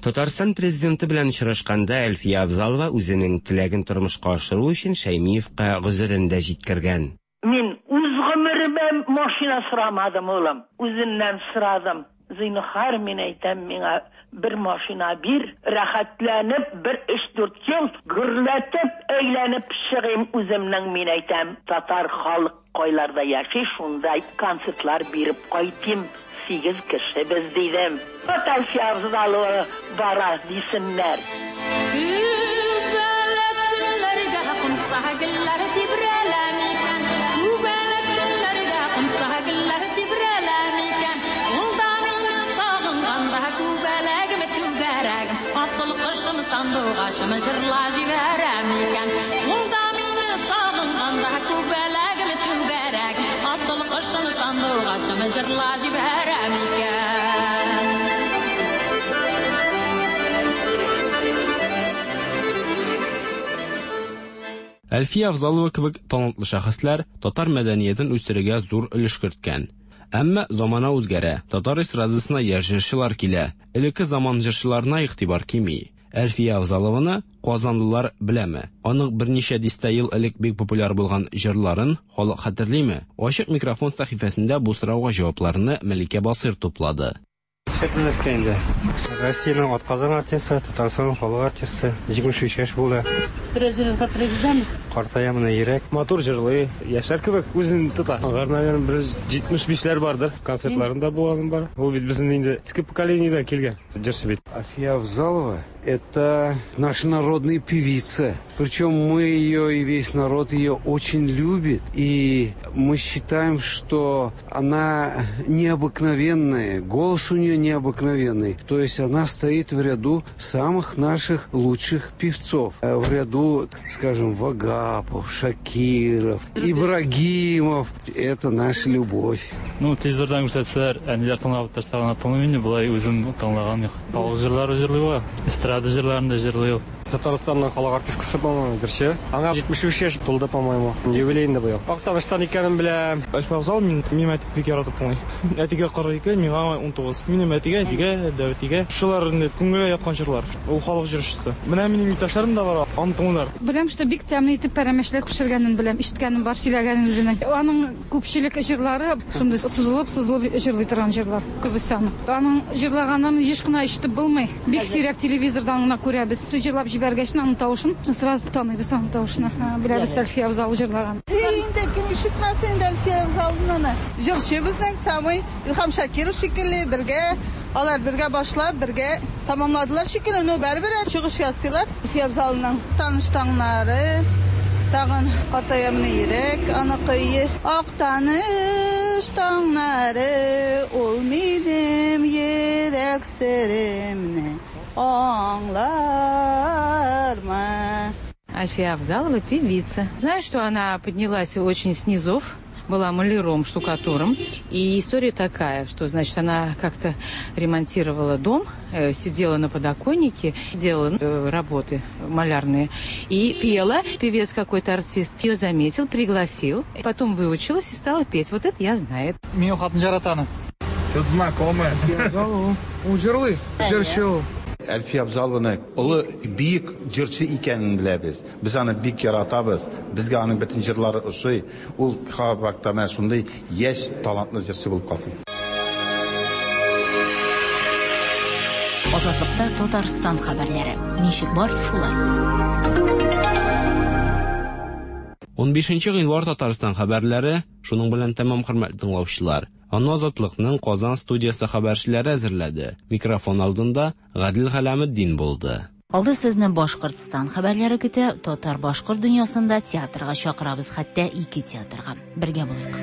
Татарстан президенты белән очрашканда Әлфия Авзалова үзенең теләген тормышка ашыру өчен Шәймиевка гозерен дә җиткергән. Мин үз гомеремә машина сорамадым, улым. Үзеннән сорадым. Зинһар, мин әйтәм, миңа бер машина бир, рәхәтләнеп бер өч-дүрт ел гөрләтеп әйләнеп чыгыйм үземнең, мин әйтәм, татар халык кайларда яши, шунда концертлар биреп кайтыйм. Сигез кеше без дидем. Әлфия Авзалова бара дисеннәр. Күбәләк гөлләргә кунса гөлләр тибрәлә микән? Күбәләк гөлләргә кунса гөлләр тибрәлә микән? Ул да мине сагынганда күбәләгем түгәрәгем, асыл кошым сандугачым җырла җибәрә микән? Ул да мине сагынганда күбәләгем түгәрәгем, асыл кошым сандугачым җырла җибәрә микән? Әлфия Авзалова кебек талантлы шәхесләр татар мәдәниятен үстерергә зур өлеш керткән. Әмма замана үзгәрә, татар эстрадасына яшь җырчылар килә. Элекке заман җырчыларына игътибар кими. Әлфия Авзалованы казанлылар беләме? Аның берничә дистә ел элек бик популяр булган җырларын халык хәтерлиме? Ачык микрофон сәхифәсендә бу сорауга җавапларны Мәликә Басыр туплады. Нишләп белмәскә инде. Россиянең атказанган артисты, Татарстанның халык артисты, җитмеш өч яшь булды. Бераз җырын хәтерегездәме? Картая менә йөрәк. Матур җырлый, яшьләр кебек үзен тота. Алар, наверное, бер җитмеш бишләр бардыр. Концертларында булганым бар. Ул бит безнең инде иске поколениедән килгән җырчы бит. Әлфия Авзалова — это наша народная певица. Причем мы ее и весь народ ее очень любит. И мы считаем, что она необыкновенная, голос у нее необыкновенный. То есть она стоит в ряду самых наших лучших певцов. В ряду, скажем, Вагапов, Шакиров, Ибрагимов. Это наша любовь. Ну, телевизордан күрсәтсәләр, әниләр тыңлап торса гына тыңлыйм инде, болай үзем тыңлаган юк. Халык җырлары җырлый ул, эстрада җырларын да җырлый ул. Татарстанның халык артисткасы, по-моему, җырчы. Аңа җитмеш өч яшь тулды, по-моему. Юбилей инде быел. Актаныштан икәнен беләм. Әлфия Авзалова мин, минем әти бик яратып тыңлый. Әтигә кырык ике, миңа унтугыз. Минем әтигә, әтигә, дәүәтигә. Шулар инде күңелгә яткан җырлар. Ул халык җырчысы. Менә минем иптәшләрем дә бар, аны тыңлыйлар. Беләм, что бик тәмле итеп пәрәмәчләр пешергәнен беләм, ишеткәнем бар, сөйләгәнен үзенең. Аның күпчелек җырлары шундый сузылып-сузылып җырлый торган җырлар. Күбесе аның. Аның җырлаганын еш кына ишетеп булмый. Бик сирәк телевизордан гына күрәбез. Җырлап җибәргәч, аның тавышын сразу таныйбыз, аның тавышын. Беләбез, Әлфия Авзалова җырлаган. Инде кем ишетмәс инде Әлфия Авзалованы. Җырчы безнең самый Илһам Шакиров шикелле бергә, алар бергә башлап, бергә тамамладылар шикелле, но бәрбер чыгыш ясыйлар. Әлфия Авзалованың таныш таңнары, тагын картаямны йөрәк, аныкы Актаныш таңнары, ул минем йөрәк серемне аңлармы. Альфия Авзалова певица. Знаю, что она поднялась очень с низов, была маляром, штукатуром. И история такая, что, значит, она как-то ремонтировала дом, сидела на подоконнике, делала работы малярные и пела. Певец какой-то артист ее заметил, пригласил, потом выучилась и стала петь. Вот это я знаю. Мин хатын яратам. Что-то знакомое. Әлфия Авзалова. Ул җырлый, җырчы ул. Әлфия Авзалованы олы бөек җырчы икәнен беләбез. Без аны бик яратабыз. Безгә аның бөтен җырлары ошый. Ул һәрвакытта менә шундый яшь, талантлы җырчы булып калсын. Азатлыкта Татарстан хәбәрләре. Ничек бар, шулай. Унбишенче гыйнвар Татарстан хәбәрләре шуның белән тәмам, хөрмәтле тыңлаучылар. Аны Азатлыкның Казан студиясе хәбәрчеләре әзерләде. Микрофон алдында Гадил Хәләметдин булды. Алда сезне Башкортстан хәбәрләре көтә. Татар-башкорт дөньясында театрга чакырабыз, хәтта ике театрга. Бергә булыйк.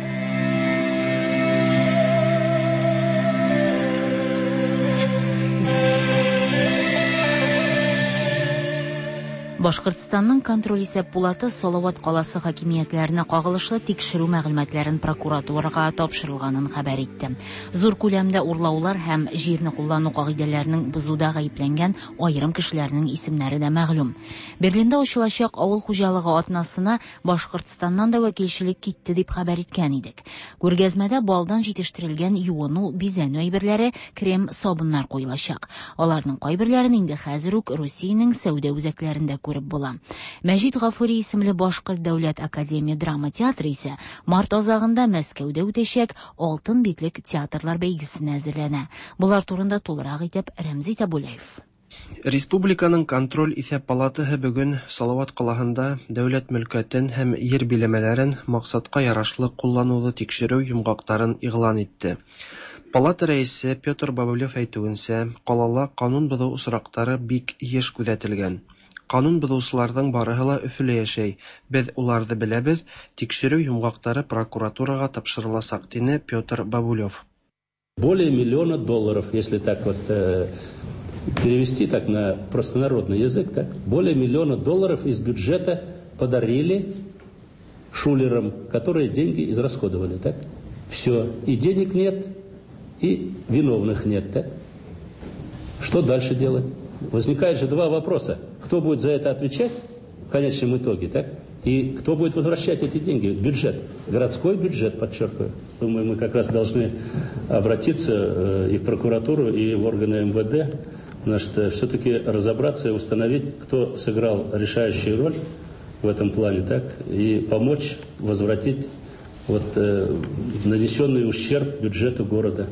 Башкортстанның контроль исәп пулаты Салават каласы хакимиятләренә кагылышлы тикшерү мәгълүматларын прокуратурага тапшырылганын хәбәр итте. Зур күләмдә урлаулар һәм җирне куллану кагыйдәләренең бозуда гаепләнгән аерым кешеләрнең исемнәре дә мәгълүм. Берлинда ачылачак авыл хуҗалыгы атнасына Башкортстаннан да вәкилчелек китте дип хәбәр иткән идек. Күргәзмәдә балдан җитештерелгән юыну, бизәнү әйберләре, крем, сабыннар куелачак. Аларның кайберләрен инде хәзер үк Русиянең сәүдә үзәкләрендә күреп була. Мәҗит Гафури исемле Башкорт дәүләт академия драма театры исә март азагында Мәскәүдә үтәчәк Алтын битлек театрлар бәйгесенә әзерләнә. Булар турында тулырак итеп Рәмзи Табулаев. Республиканың контроль исәп палатаһы бүген Салават калаһында дәүләт мөлкәтен һәм ер биләмәләрен максатка ярашлы куллануны тикшерү йомгакларын игълан итте. Палата рәисе Петр Бабылев әйтүенчә, калала канун бозу очраклары бик еш күзәтелгән. Канун бозучыларның барыһы ла Өфөлә яшәй. Без уларны беләбез, тикшерү йомгаклары прокуратурага тапшырылачак, дине Петр Бабулев. Более миллиона долларов, если так вот э, перевести так на простонародный язык, так, более миллиона долларов из бюджета подарили шулерам, которые деньги израсходовали, так? Все, и денег нет, и виновных нет, так? Что дальше делать? Возникает же два вопроса. Кто будет за это отвечать в конечном итоге, так? И кто будет возвращать эти деньги? Бюджет. Городской бюджет, подчеркиваю. Думаю, мы как раз должны обратиться и в прокуратуру, и в органы эм вэ дэ, значит, все-таки разобраться и установить, кто сыграл решающую роль в этом плане, так, и помочь возвратить вот, э, нанесенный ущерб бюджету города.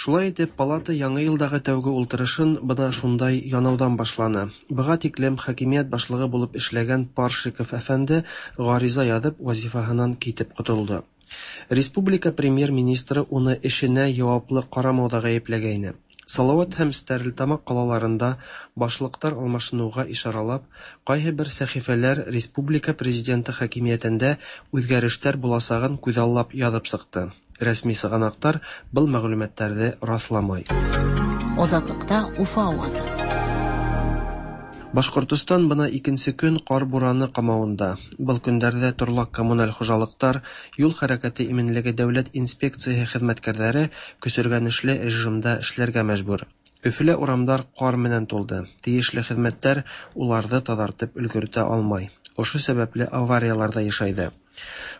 Шулай итеп, палата яңа елдагы тәүге ултырышын бына шундай янаудан башланы. Быға тиклем хакимият башлыгы булып эшләгән Паршиков әфәнде ғариза яҙып вазифаһынан китеп ҡотолдо. Республика премьер-министры уны эшенә яуаплы ҡарамауҙа ғәйепләгәйне. Салават һәм Стәрлетамаҡ ҡалаларында башлыҡтар алмашыныуға ишаралап, ҡайһы бер сәхифәләр республика президенты хакимиәтендә үҙгәрештәр буласағын күҙаллап яҙып сыҡты. Рәсми сығанаҡтар был мәғлүмәттәрҙе раҫламай. Азатлыкта Уфа авазы. Башҡортостан бына икенсе көн ҡар бураны ҡамауында. Был көндәрҙә торлаҡ коммуналь хужалыҡтар, юл хәрәкәте именлеге дәүләт инспекцияһы хеҙмәткәрҙәре көсөргәнешле режимда эшләргә мәжбүр. Өфөлә урамдар ҡар менән тулды. Тейешле хеҙмәттәр уларҙы таҙартып өлгөртә алмай. Ошо сәбәпле авариялар ҙа йышайҙы.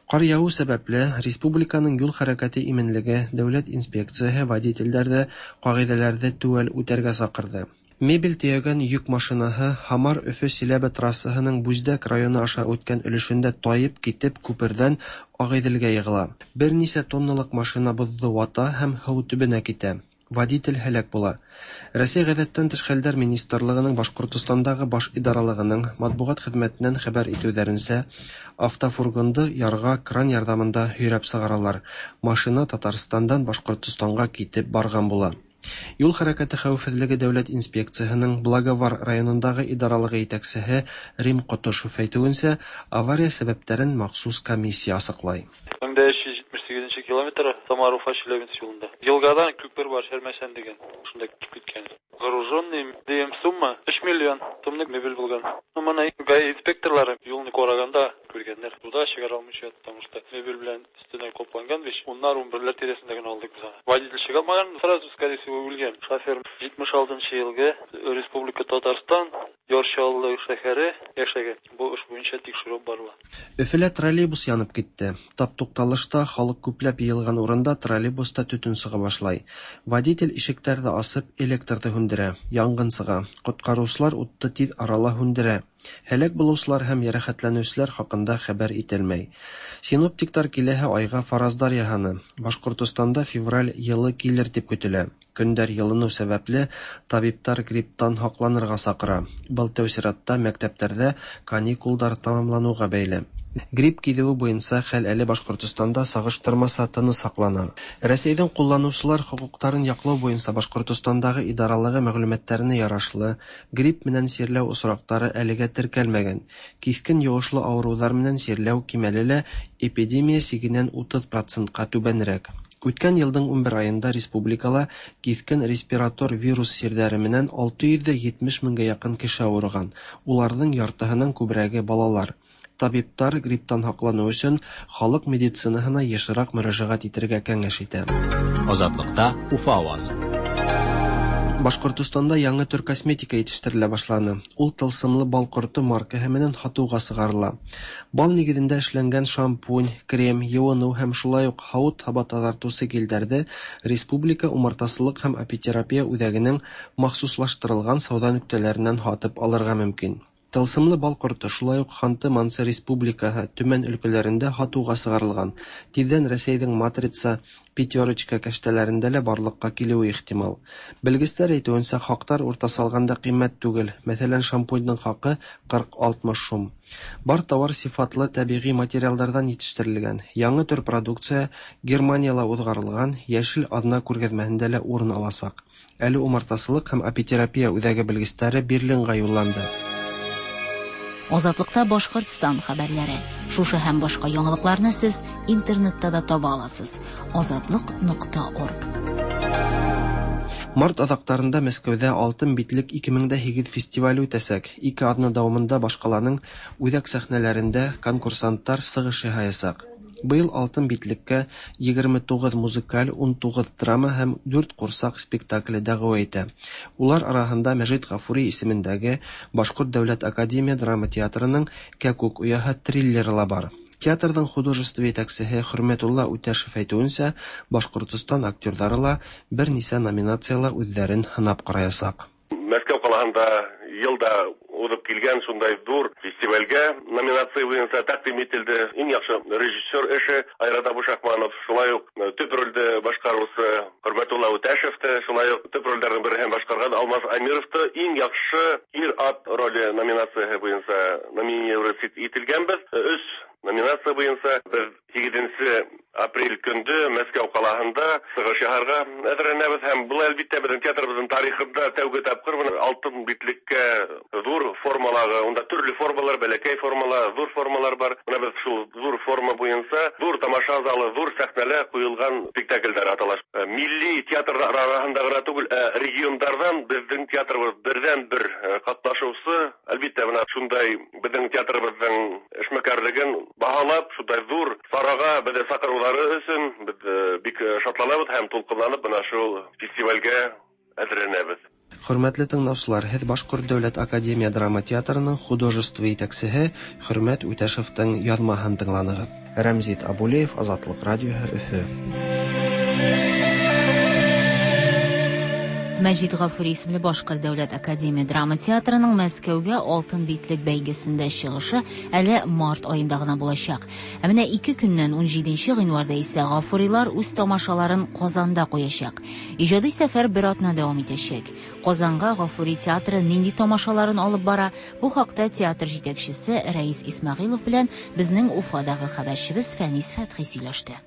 Ҡар яуыу сәбәпле республиканың юл хәрәкәте именлеге дәүләт инспекцияһы водителдәрҙе ҡағиҙәләрҙе теүәл үтәргә саҡырҙы. Мебель тейәгән йөк машинаһы Һамар-Өфө-Силәбе трассаһының Бүздәк районы аша үткән өлөшөндә тайып китеп күперҙән Ағиҙелгә йығыла. Бер нисә тонналыҡ машина боҙҙо вата һәм һыу төбөнә китә. Водитель һәләк була. Рәсәй ғәҙәттән тыш хәлдәр министрлығының Башҡортостандағы баш идаралығының матбуғат хеҙмәтенән хәбәр итеүҙәренсә, автофургонды ярға кран ярҙамында һөйрәп сығаралар. Машина Татарстандан Башҡортостанға китеп барған була. Юл хәрәкәте хәүефһеҙлеге дәүләт инспекцияһының Благовар районындағы идаралығы етәксеһе Рим Ҡотошов әйтеүенсә, авария сәбәптәрен махсус комиссия асыҡлай. мең дә өс йөҙ етмеш һигеҙенсе километр Самар-Уфа Челябинск юлында. Йылғадан күпер бар, Шәрмәсән дигән. Шунда китеп киткән. Груженный дигән сумма өс миллион сумлык мебель булган. Ну, мына ГАИ инспекторлары юлны ҡарағанда күргәндәр. Суда чыгара алмыйча, потому что мебель белән өстенә ҡапланған бит. Уннар ун берләр тирәсендә генә алдык без аны. Водитель чыга алмаган, сразу, скорее всего, үлгән. Шофер етмеш алтынсы йылғы Республика Татарстан, Яр Чаллы шәһәре йәшәгән. Бу эш буйынса тикшерү барыла. Өфөлә троллейбус янып китте. Тап туҡталышта халыҡ күпләп йыйылған урында троллейбуста төтөн сыға башлай. Водитель ишектәрҙе асып, электрҙы һүндерә. Янғын сыға. Ҡотҡарыусылар утты тиҙ арала һүндерә. Һәләк булыусылар һәм йәрәхәтләнеүселәр хаҡында хәбәр ителмәй. Синоптиктар киләһе айға фараздар яһаны. Башҡортостанда февраль йылы килер тип көтөлә. Көндәр йылыныу сәбәпле табиптар грипптан һаҡланырға саҡыра. Был тәү сиратта мәктәптәрҙә каникулдар тамамланыуға бәйле. Грипп киҙеүе буйынса хәл әле Башҡортостанда сағыштырмаса тыныс һаҡлана. Рәсәйҙең ҡулланыусылар хоҡуҡтарын яҡлау буйынса Башҡортостандағы идаралығы мәғлүмәттәренә ярашлы, грипп менән сирләү осраҡтары әлегә теркәлмәгән. Киҫкен йоғошло ауырыуҙар менән сирләү кимәле лә эпидемия сигенән утыҙ процентҡа түбәнерәк. Үткән йылдың ун бер айында республикала киҫкен респиратор вирус сирҙәре менән алты йөҙ етмеш меңгә яҡын кеше ауырыған. Уларҙың яртыһынан күберәге балалар. Табиптар грипптан һаҡланыу өсөн халыҡ медицинаһына йышыраҡ мөрәжәғәт итергә кәңәш итә. Азатлыкта Уфа авазы. Башҡортостанда яңы төр косметика етештерелә башланы. Ул тылсымлы бал ҡорто маркаһы менән һатыуға сығарыла. Бал нигеҙендә эшләнгән шампунь, крем, йыуыныу һәм шулай уҡ һауыт-һаба таҙартыусы гелдәрҙе Республика умартасылыҡ һәм апитерапия үҙәгенең махсуслаштырылған сауҙа нөктәләренән һатып алырға мөмкин. Тылсымлы бал ҡорто шулай уҡ Ханты-Мансы Республикаһы, Төмән өлкәләрендә һатыуға сығарылған. Тиҙҙән Рәсәйҙең Матрица, Пятерочка кәштәләрендә лә барлыҡҡа килеүе ихтимал. Белгестәр әйтеүенсә, хаҡтар уртаса алғанда ҡиммәт түгел. Мәҫәлән, шампуньдың хаҡы ҡырҡ алтмыш һум. Бар тауар сифатлы тәбиғи материалдарҙан етештерелгән. Яңы төр продукция Германияла уҙғарылған Йәшел аҙна күргәҙмәһендә лә урын аласаҡ. Әле умартасылыҡ һәм апитерапия үҙәге белгестәре Берлинға юлланды. Азатлыкта Башҡортостан хәбәрләре. Шушы һәм башҡа яңалыҡларны сез интернетта да таба аласыз. Азатлык нокта орг. Март аҙаҡтарында Мәскәүҙә Алтын битлек ике мең дә һигеҙ фестивале үтәсәк. Ике аҙна дауамында башҡаланың үҙәк сәхнәләрендә конкурсанттар сығыш яһаясаҡ. Быйыл Алтын битлеккә егерме туғыҙ музыкаль, ун туғыҙ драма һәм дүрт ҡурсаҡ спектакле дәғүә итә. Улар араһында Мәжит Ғафури исемендәге Башҡорт дәүләт академия драма театрының Кәкүк ояһы триллеры ла бар. Театрҙың художество етәксеһе Хөрмәтулла Үтәшев әйтеүенсә, Башҡортостан актерҙары ла бер нисә номинацияла үҙҙәрен һынап ҡараясаҡ. Мәскәү ҡалаһында йылда уҙып килгән шундай ҙур фестивальгә номинация буйынса тәҡдим ителде. Иң яҡшы режиссер эше Айрат Абушахманов, шулай уҡ төп ролде башҡарыусы Хөрмәтулла Үтәшев апрель көндө Мәскәү ҡалаһында сығыш яһарға әҙерләнәбеҙ һәм был әлбиттә беҙҙең театрыбыҙҙың тарихында тәүге тапҡыр бына алтын битлеккә ҙур формалағы, унда төрлө формалар, бәләкәй формалар, ҙур формалар бар. Бына беҙ шул ҙур форма буйынса ҙур тамаша залы, ҙур сәхнәлә ҡуйылған спектаклдәр атала. Милли театрҙар араһында ғына түгел, ә региондарҙан беҙҙең театрыбыҙ берҙән-бер ҡатнашыусы. Әлбиттә, бына шундай беҙҙең театрыбыҙҙың эшмәкәрлеген баһалап, шундай ҙур сараға беҙҙе саҡырыуҙары өсөн беҙ бик шатланабыҙ һәм тулҡынланып бына шул фестивалгә әҙерләнәбеҙ. Хөрмәтле тыңлаусылар, һеҙ Башҡорт дәүләт академия драма театрының художество етәксеһе Хөрмәт Үтәшевтең яҙмаһын тыңланығыҙ. Рәмзит Абулеев, Азатлыҡ радиоһы, Өфө. Мәҗит Гафури исемле Башҡорт дәүләт академия драма театрының Мәскәүгә алтын битлек бәйгесендә чыгышы әле март айында гына булачак. Ә менә ике көннән ун җиденче гыйнварда исә Гафурилар үз тамашаларын Казанда куячак. Иҗади сәфәр бер атна дәвам итәчәк. Казанга Гафури театры нинди тамашаларын алып бара? Бу хакта театр җитәкчесе Рәис Исмәгыйлов белән безнең Уфадагы хәбәрчебез Фәнис Фәтхи сөйләште.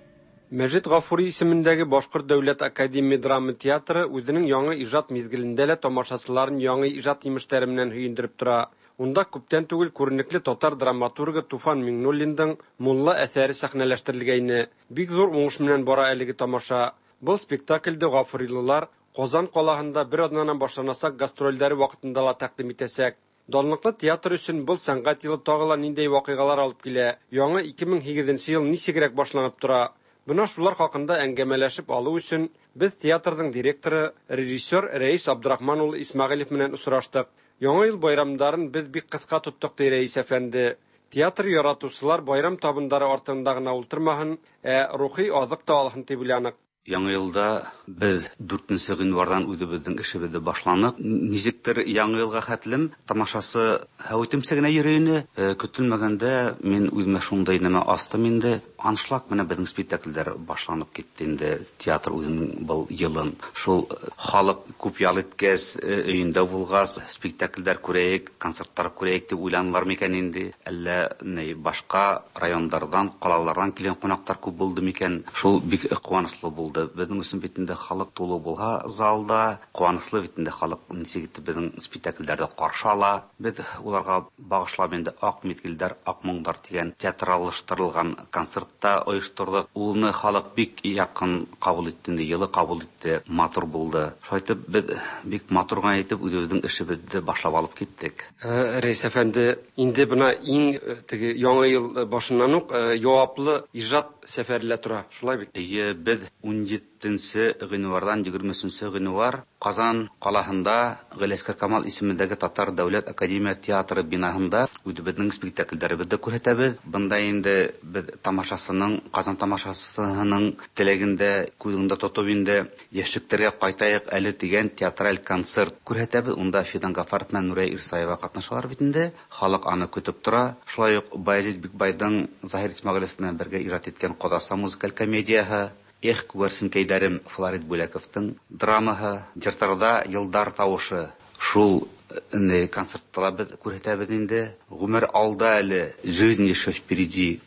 Мәҗит Гафури исемендәге Башҡорт дәүләт академия драма театры үҙенең яңы ижад миҙгелендә лә тамашасыларын яңы ижад емештәре менән һөйөндөрөп тора. Унда күптән түгел күренекле татар драматургы Туфан Миңнуллиндың «Мулла» әҫәре сәхнәләштерелгәйне. Бик ҙур уңыш менән бара әлеге тамаша. Был спектаклде ғафурилылар Ҡазан ҡалаһында бер аҙнанан башланасаҡ гастролдәре ваҡытында ла тәҡдим итәсәк. Данлыҡлы театр өсөн был сәнғәт йылы тағы ла ниндәй ваҡиғалар алып килә? Яңы ике мең һигеҙенсе йыл нисегерәк башланып тора? Бына шулар хаҡында әңгәмәләшеп алыу өсөн беҙ театрҙың директоры, режиссер Рәис Абдрахман улы Исмәғилев менән осраштыҡ. Яңы йыл байрамдарын беҙ бик ҡыҫҡа тоттоҡ, ти Рәис әфәнде. Театр яратыусылар байрам табындары артында ғына ултырмаһын, ә рухи аҙыҡ та алһын тип уйланыҡ. Яңы йылда беҙ дүртенсе ғинварҙан үҙебеҙҙең эшебеҙҙе башланыҡ. Нисектер яңы йылға хәтлем тамашасы һәүетемсә генә йөрөй ине. Көтөлмәгәндә мин үҙемә шундай нәмә астым инде. Аншлаг менән беҙҙең спектаклдәр башланып китте инде. Театр үҙенең был йылын. Шул халыҡ күп ял иткәс, өйөндә булғас, спектаклдәр күрәйек, концерттар күрәйек тип уйланылар микән инде? Әллә ни башҡа райондарҙан, ҡалаларҙан килгән ҡунаҡтар күп булды микән? Шул бик ҡыуаныслы булды. Беҙҙең өсөн бит инде халыҡ тулы булһа залда, ҡыуаныслы бит инде халыҡ нисек итеп беҙҙең спектаклдәрҙе ҡаршы ала. Беҙ уларға бағышлап инде «Аҡ миҙгелдәр, аҡ моңдар» тигән театраллаштырылған концертта ойошторҙоҡ. Уны халыҡ бик яҡын ҡабул итте инде, йылы ҡабул итте, матур булды. Шулай итеп беҙ бик матур ғына итеп үҙебеҙҙең эшебеҙҙе башлап алып киттек. Рәис әфәнде, инде бына иң теге яңы йыл башынан уҡ яуаплы ижад сәфәре лә тора, шулай бит? Эйе, беҙ ун етенсе ғинварҙан егерме өсөнсө ғинвар Ҡазан ҡалаһында Ғәлиәсғәр Камал исемендәге Татар дәүләт академия театры бинаһында үҙебеҙҙең спектаклдәребеҙҙе күрһәтәбеҙ. Бында инде беҙ тамашасының, Ҡазан тамашасының теләгендә күҙ уңында тотоп инде йәшлектәргә ҡайтайыҡ әле тигән театраль концерт күрһәтәбеҙ. Унда Фидан Ғафаров менән Нурия Ирсаева ҡатнашалар бит инде. Халыҡ аны көтөп тора. Шулай уҡ Баязит Бикбайҙың Заһир Исмәғилев менән бергә ижад иткән «Ҡоҙаса» музыкаль комедияһы, «Эх, күгәрсенкәйҙәрем» Флорид Бүләковтың драмаһы, «Йыртарҙа йылдар тауышы». Шул концертта ла беҙ күрһәтәбеҙ инде. «Ғүмер алда әле», «Жизнь еще впереди»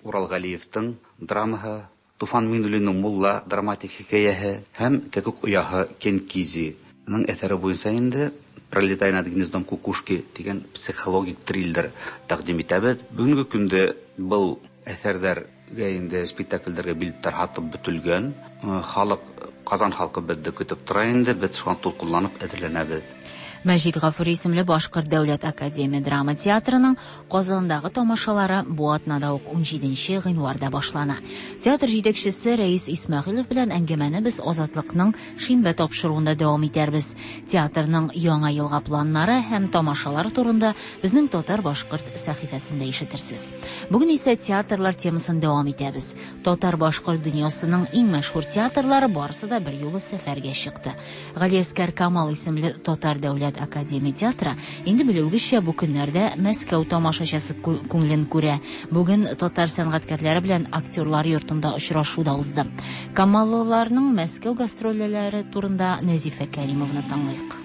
Урал Ғәлиевтың драмаһы, Туфан Миңнуллиндың «Мулла» драматик хикәйәһе һәм «Кәкүк ояһы» Кенкизиның әҫәре буйынса инде «Пролетая над гнездом кукушки» тигән психологик триллер тәҡдим итәбеҙ. Бөгөнгө көндә был әҫәрҙәр инде спектаклдәргә билеттар һатып бөтөлгән. Халыҡ, Ҡазан халҡы беҙҙе көтөп тора инде, беҙ шуға тулҡынланып әҙерләнәбеҙ. Мәҗит Гафури исемле Башҡорт дәүләт академия драма театрының Ҡазандагы тамашалары бу атнада ук ун җиденче гыйнварда башлана. Театр җитәкчесе Рәис Исмәгыйлов белән әңгәмәне без Азатлыкның шимбә тапшыруында дәвам итәрбез. Театрның яңа елга планнары һәм тамашалар турында безнең Татар-башкорт сәхифәсендә ишетерсез. Бүген исә театрлар темасын дәвам итәбез. Татар-башкорт дөньясының иң мәшһүр театрлары барысы да бер юлы сәфәргә чыкты. Галиәскәр Камал исемле Татар дәүләт академия театры инде белүгечә бу көннәрдә Мәскәү тамашачысы күңелен күрә. Бүген татар сәнгатькәрләре белән актерлар йортында очрашу да узды. Камаллыларның Мәскәү гастрольләре турында Нәзифә Кәримовна тыңлыйк.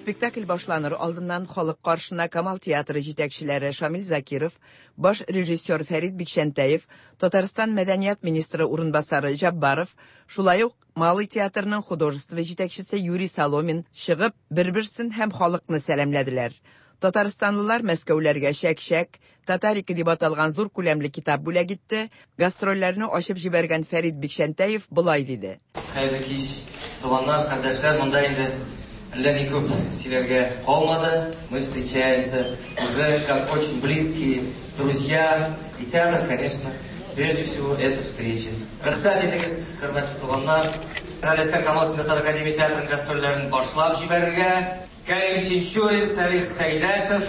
Спектакль башланыр алдыннан халык каршына Камал театры җитәкчеләре Шамил Закиров, баш режиссер Фәрит Бикчәнтәев, Татарстан мәдәният министры урынбасары Җаббаров, шулай ук Малый театрының художество җитәкчесе Юрий Соломин чыгып, бер-берсен һәм халыкны сәламләделәр. Татарстанлылар Мәскәүләргә чәк-чәк, Татарика дип аталган зур күләмле китап бүләк итте. Гастрольләрне ачып җибәргән Фәрит Бикчәнтәев болай диде. Хәерле кич, туганнар, кардәшләр, монда инде әллә ни күп сөйләргә калмады. Мы встречаемся уже как очень близкие друзья. И театр, конечно, прежде всего, это встреча. Рөхсәт итегез, хөрмәтле туганнар, Галиәсгар Камал татар академия театрының гастрольләрен башлап җибәрергә. Кәрим Тинчурин, Салих Сәйдәшев,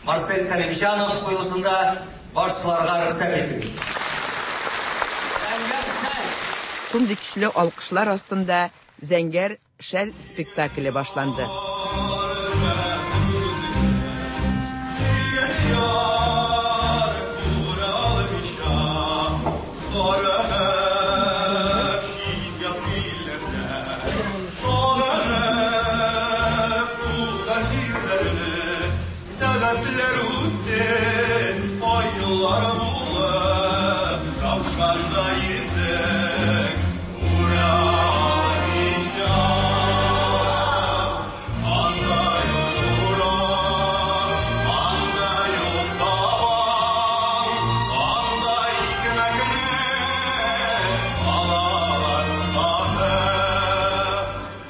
Марсель Сәлимҗанов куелышында башларга рөхсәт итегез. Шундый көчле алкышлар астында Зәңгәр шәл спектакле башланды.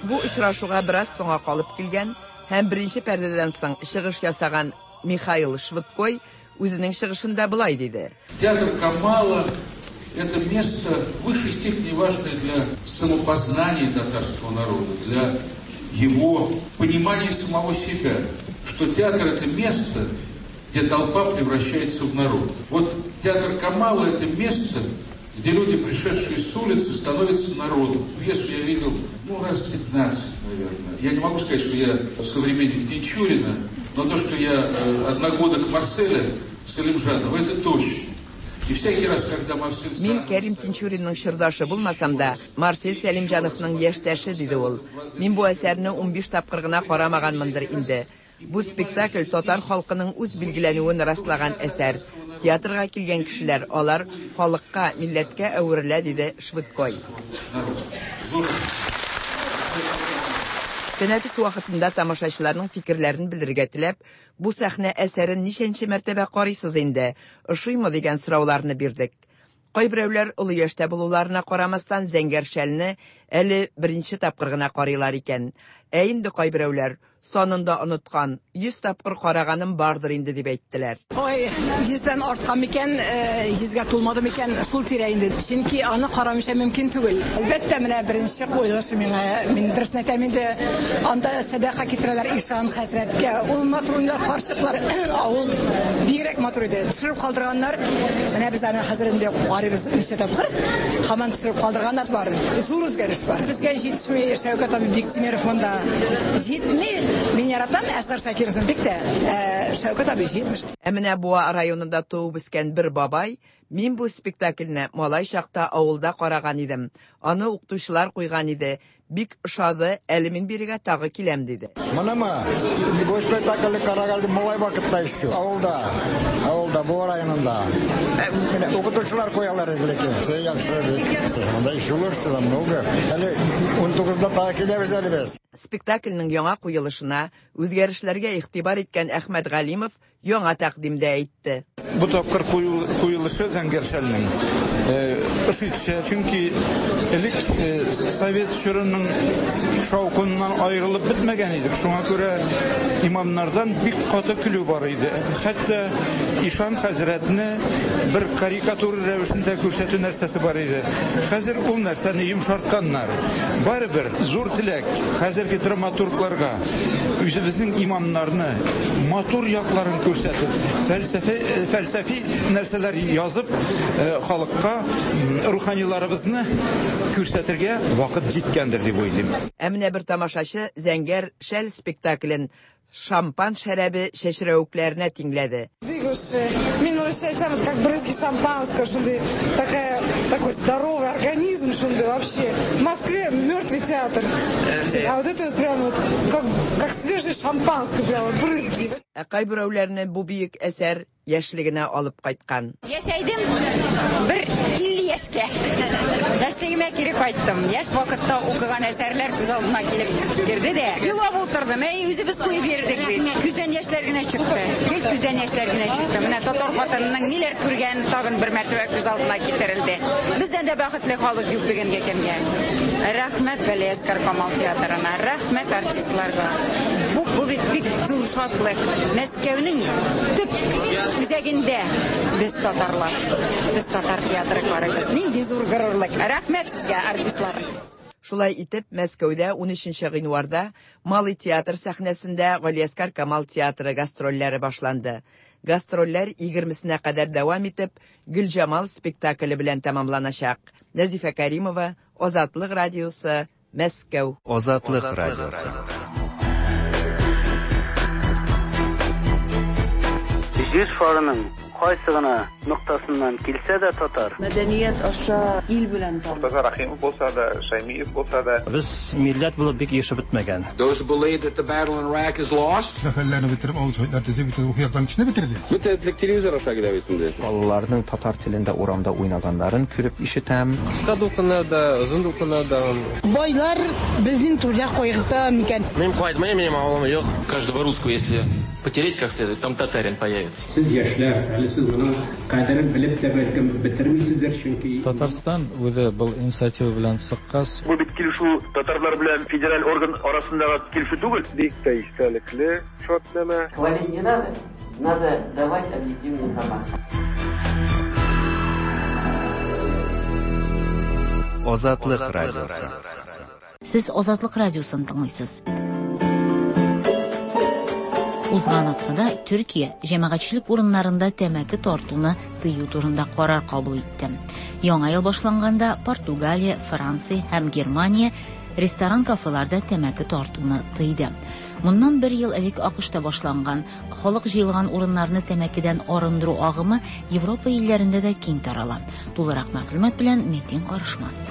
Бу очрашуга бераз соңга калып килгән һәм беренче пәрдәдән соң чыгыш ясаган Михаил Швыдкой үзенең чыгышында болай диде. Театр Камала – это место в высшей степени важное для самопознания татарского народа, для его понимания самого себя, что театр – это место, где толпа превращается в народ. Вот театр Камала – это место, где люди, пришедшие с улицы, становятся народом. Пьесу я видел, ну, раз пятнадцать, наверное. Я не могу сказать, что я современник Тинчурина, но то, что я одногодок Марселя Салимжанова, это точно. И всякий раз, когда Марсель... Мин Кәрим Тинчуринның чордашы булмасам да, Марсель Сәлимҗановның яшьтәше, диде ул. Мин бу әсәрне унбиш тапкыр гына карамаганмындыр инде. Бу спектакль татар халкының үз билгеләнүен раслаган әсәр. Театрга килгән кешеләр, алар халыкка, милләткә әверелә, диде Швыдкой. Тәнәфес вакытында тамашачыларның фикерләрен белдерергә теләп, бу сәхнә әсәрен ничәнче мәртәбә карыйсыз инде, ошыймы дигән сорауларны бирдек. Кайберәүләр олы яшьтә булуларына карамастан Зәңгәр шәлне әле беренче тапкыр гына карыйлар икән. Ә инде кайберәүләр санын да оныткан, йөз тапкыр караганым бардыр инде дип әйттеләр. Ой, йөздән арткан микән, йөзгә тулмады микән, шул тирә инде. Чөнки аны карамыйча мөмкин түгел. Әлбәттә, менә беренче куелышы миңа, мин дөресен әйтәм инде, анда сәдака китерәләр ишан хәзрәткә. Ул матур уйлар, карчыклар, авыл бигрәк матур иде. Төшереп калдырганнар, менә без аны хәзер инде карыйбыз ничә тапкыр, һаман төшереп калдырганнар бар. Зур үзгәреш бар. Безгә җитешми Шәүкәт абый Биктимеров монда. Җитми. Мин яратам Әсгар Шакировны бик тә, Шәүкәт абый җитмеш. Ә менә Буа районында туып үскән бер бабай, мин бу спектакльне малай чакта авылда караган идем. Аны укытучылар куйган иде. Бик ошады, әле мин бирегә тагы киләм, диде. Монымы? Бу спектакльне караган малай вакытта еще. Авылда, авылда, Буа районында. Укытучылар куялар иде ләкин. Яхшы бик. Монда еще лучше намного. Әле унтугызда тагы киләбез әле без. Спектакльнең яңа куелышына үзгәрешләргә игътибар иткән Әхмәт Галимов яңа тәкъдимдә әйтте. Бу тапкыр куелышы Зәңгәр шәлнең ошый төшә, чөнки элек совет чорының шаукыннан аерылып бетмәгән идек. Шуңа күрә имамнардан бик каты көлү бар иде. Хәтта ишан хәзрәтне бер карикатура рәвешендә күрсәтү нәрсәсе бар иде. Хәзер ул нәрсәне йомшартканнар. Барыбер зур теләк хәзерге драматургларга үзебезнең имамнарны матур якларын күрсәтеп, фәлсәфе фәлсәфи нәрсәләр язып, халыкка руханиларыбызны күрсәтергә вакыт җиткәндер дип уйлыйм. Ә менә бер тамашачы Зәңгәр шәл спектаклен шампан шәрабе чәчрәвекләренә тиңләде. Мин урысча әйтсәм, это как брызги шампанского, шундый такая Такой здоровый организм, что вообще. В Москве мертвый театр. А вот это вот прям вот как, как свежее шампанское, прям вот брызги. Ә кайберәүләрне бу бөек әсәр яшьлегенә алып кайткан. Яшәйдем бер илле яшькә. Яшьлегемә кире кайттым. Яшь вакытта укыган әсәрләр күз алдыма килеп керде дә. Елап утырдым. Әй, үзебез куеп йөрдек бит. Күздән яшьләр генә чыкты. Гел күздән яшьләр генә чыкты. Менә татар хатынының ниләр күргән тагын бер мәртәбә күз алдына китерелде. Бездән дә бәхетле халык юк бүгенге көнгә. Рәхмәт Галиәсгар Камал театрына, рәхмәт артистларга. Бу, бу бит бик зур шатлык. Мәскәүнең төп үзәгендә без татарлар, без татар театры карыйбыз. Нинди зур горурлык. Рәхмәт сезгә, артистлар. Шулай итеп, Мәскәүдә унөченче гыйнварда Малый театр сәхнәсендә Галиәсгар Камал театры гастрольләре башланды. Гастрольләр егермесенә кадәр дәвам итеп, Гөлҗамал спектакле белән тәмамланачак. Нәзифә Каримова, Азатлык радиосы, Мәскәү. Азатлык радиосы. Җир шарының кайсы гына ноктасыннан килсә дә татар. Мәдәният аша ил белән таныш. Мортаза Рахимов булса да, Шаймиев булса да. Без милләт булып бик ешып бетмәгән. Those who believe that the battle in Iraq is lost. Сәфәрләрне бетереп, авыл советлар төзеп, бөтен рухи яктан кешене бетерде. Бөтен телевизор аша килә бит инде. Балаларның татар телендә урамда уйнаганнарын күреп ишетәм. Кыска дулкыннарда, озын дулкыннарда. Байлар безнең түрдә кайгырта микән? Мин кайтмыйм, минем авылым юк. Каждого русского, если потереть как следует, там татарин появится. Сез яшьләр, әле сез моның кадерен белеп тә бәлкем бетермисездер, чөнки Татарстан үзе был инициатива белән чыккач. Бу бит килешү татарлар белән федераль орган арасындагы килешү түгел. Бик тә истәлекле шартнамә. Хвалить не надо, надо давать объективную информацию. Азатлык радиосы. Сез Азатлык радиосын тыңлыйсыз. Узган атнада Төркия җәмәгатьчелек урыннарында тәмәке тартуны тыю турында карар кабул итте. Яңа ел башланганда Португалия, Франция һәм Германия ресторан-кафеларда тәмәке тартуны тыйды. Моннан бер ел элек АКШта башланган халык җыелган урыннарны тәмәкедән арындыру агымы Европа илләрендә дә киң тарала. Тулырак мәгълүмат белән Метин Карышмас.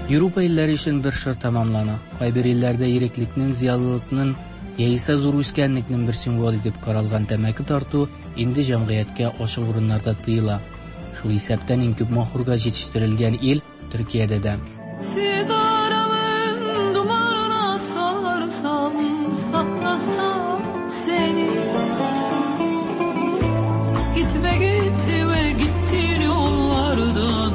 Европа илләре өчен бер шыр тәмамлана. Кайбер илләрдә иреклекнең, зыялылыкның яисә зур үскәнлекнең бер символы дип каралган тәмәке тарту инде җәмгыятькә ачык урыннарда тыела. Шул исәптән иң күп махурга җитештерелгән ил Төркиядә дә. Sigaramın dumanına sarsam, saklasam seni. Gitme gitme gittiğin yollardan.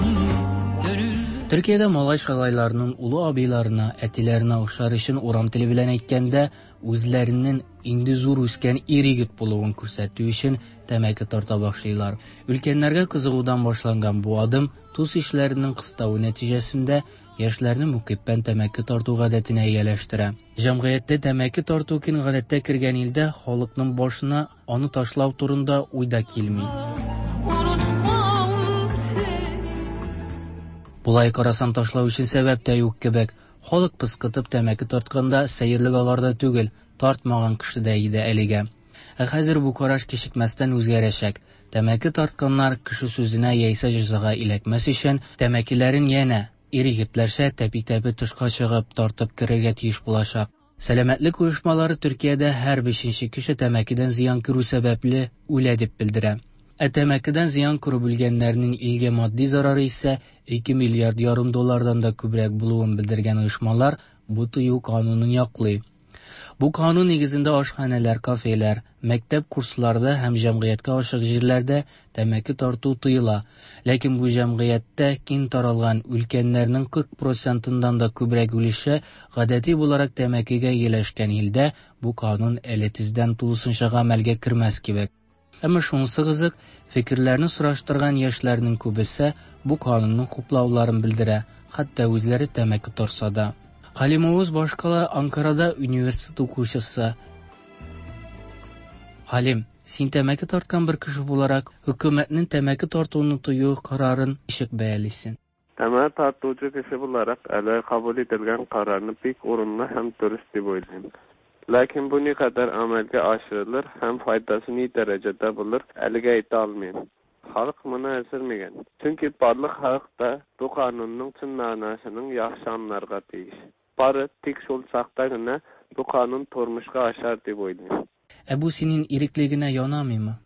Төркиядә малай шалайларының улы абыйларына, әтиләренә охшар өчен урам теле белән әйткәндә, үзләренең инде зур үскән ир егет булуын күрсәтү өчен тәмәке тарта башлыйлар. Өлкәннәргә кызыгудан башланган бу адым тус ишләренең кыставы нәтиҗәсендә яшьләрне мөкиббән тәмәке тарту гадәтенә ияләштерә. Җәмгыятьтә тәмәке тарту киң гадәттә кергән илдә халыкның башына аны ташлау турында уй да килми. Булай карасаң ташлау өчен сәбәп тә юк кебек. Халык пыскытып тәмәке тартканда сәерлек аларда түгел, тартмаган кешедә иде әлегә. Ә хәзер бу караш кичекмәстән үзгәрәчәк. Тәмәке тартканнар кеше сүзенә яисә җәзага иләкмәс өчен тәмәкеләрен янә ир егетләрчә тәпи-тәпи тышка чыгып тартып керергә тиеш булачак. Сәламәтлек оешмалары Төркиядә һәр бишенче кеше тәмәкедән зыян күрү сәбәпле үлә дип белдерә. Ә тәмәкедән зыян күреп үлгәннәрнең илгә матди зарары исә ике миллиард ярым доллардан да күбрәк булуын белдергән оешмалар бу тыю канунын яклый. Бу канун нигезендә ашханәләр, кафелар, мәктәп курсларда һәм җәмгыятькә ачык җирләрдә тәмәке тарту тыела. Ләкин бу җәмгыятьтә киң таралган өлкәннәрнең кырык процентыннан да күбрәк өлеше гадәти буларак тәмәкегә ияләшкән илдә бу канун әле тиздән тулысынча гамәлгә кермәс кебек. Әмма шунысы кызык, фикерләрне сораштырган яшьләрнең күбесе бу канунны хуплауларын белдерә, хәтта үзләре тәмәке тартса да. Халим Оğuz башкала Анкарада университет укучысы. Халим, син тәмәке тарткан бер кеше буларак, хөкүмәтнең тәмәке тартуны тыю карарын ничек бәялисең? Тәмәке тартучы кеше буларак, әле кабул ителгән карарны бик урынлы һәм дөрес дип уйлыйм. Ләкин бу никадәр гамәлгә ашырылыр һәм файдасы ни дәрәҗәдә булыр, әлегә әйтә алмыйм. Халык моны әзер микән? Чөнки барлык халык та бу канунның чын мәгънәсен яхшы аңларга тиеш. Бары тик шул чакта гына бу канун тормышка ашар дип уйлыйм. Ә бу синең иреклегеңә янамыймы?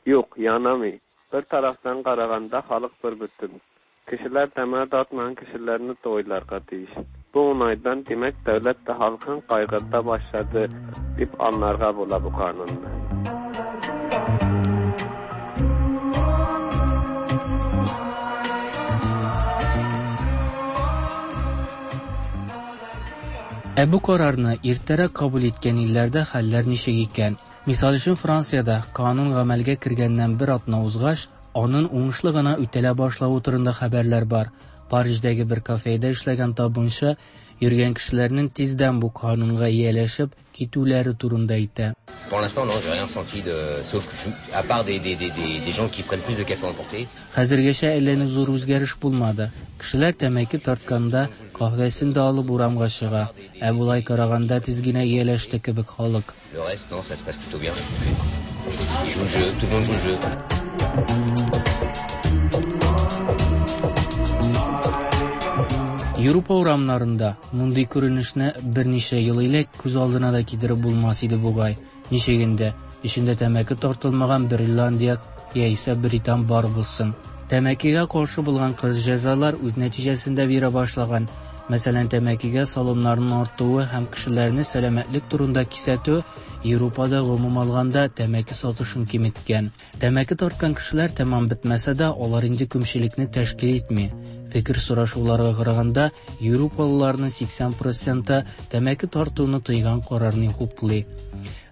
Юк, янамый. Бер тарафтан караганда халык бер бөтен. Кешеләр тәмәке тартмаган кешеләрне дә уйларга тиеш. Бу уңайдан, димәк, дәүләт тә халкын кайгырта башлады дип аңларга була бу канунны. Ә бу карарны иртәрәк кабул иткән илләрдә хәлләр ничек икән? Мисал өчен, Франциядә канун гамәлгә кергәннән бер атна узгач, аның уңышлы гына үтәлә башлавы турында хәбәрләр бар. Париждәге бер кафеда эшләгән табынчы йөргән кешеләрнең тиздән бу канунга ияләшеп китүләре турында әйтә. Pour l'instant, non, j'ai rien senti de, sauf que je, à part des, des, des, des, des gens qui prennent plus de café emporté. Хәзергәчә әллә ни зур үзгәреш булмады. Кешеләр тәмәке тартканда каһвәсен дә алып урамга чыга. Ә болай караганда тиз генә ияләште кебек халык. Le reste, non, ça se passe plutôt bien. Ils jouent le jeu, tout le monde joue le jeu. Европа урамнарында мондый күренешне берничә ел элек күз алдына да китереп булмас иде бугай. Ничек инде эчендә тәмәке тартылмаган бер Ирландия яисә Британ бар булсын. Тәмәкегә каршы булган кырыс җәзалар үз нәтиҗәсен дә бирә башлаган. Мәсәлән, тәмәкегә салымнарның артуы һәм кешеләрне сәламәтлек турында кисәтү Европада гомум алганда тәмәке сатышын киметкән. Тәмәке тарткан кешеләр тәмам бетмәсә дә, алар инде күпчелекне тәшкил итми. Фикер сорашуларга караганда, европалыларның сиксән проценты тәмәке тартуны тыйган карарны хуплый.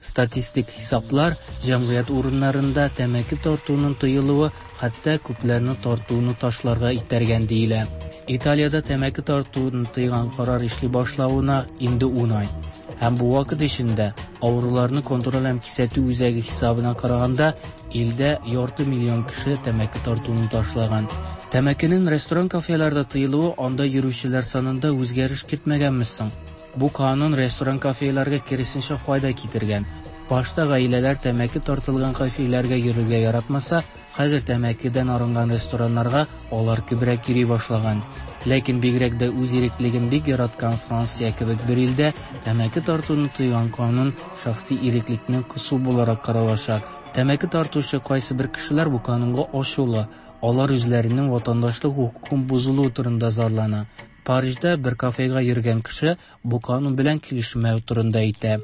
Статистик хисаплар җәмгыять урыннарында тәмәке тартуның тыелуы хәтта күпләрне тартуны ташларга итәргән диелә. Италиядә тәмәке тартуны тыйган карар эшли башлавына инде ун ай. Һәм бу вакыт эчендә авыруларны контроль һәм кисәтү үзәге хисабына караганда илдә ярты миллион кеше тәмәке тартуны ташлаган. Тәмәкенең ресторан-кафеларда тыелуы анда йөрүчеләр санында үзгәреш кертмәгәнме соң? Бу канун ресторан-кафеларга киресенчә файда китергән. Башта гаиләләр тәмәке тартылган кафеларга йөрергә яратмаса, хәзер тәмәкедән арынган рестораннарга алар күбрәк йөри башлаган. Ләкин бигрәк дә үз иреклеген бик яраткан Франция кебек бер илдә тәмәке тартуны тыйган канун шәхси иреклекне кысу буларак каралачак. Тәмәке тартучы кайсы бер кешеләр бу канунга ачулы. Алар үзләренең ватандашлык хокукын бозылуы турында зарлана. Парижда бер кафега йөргән кеше бу канун белән килешмәү турында әйтә.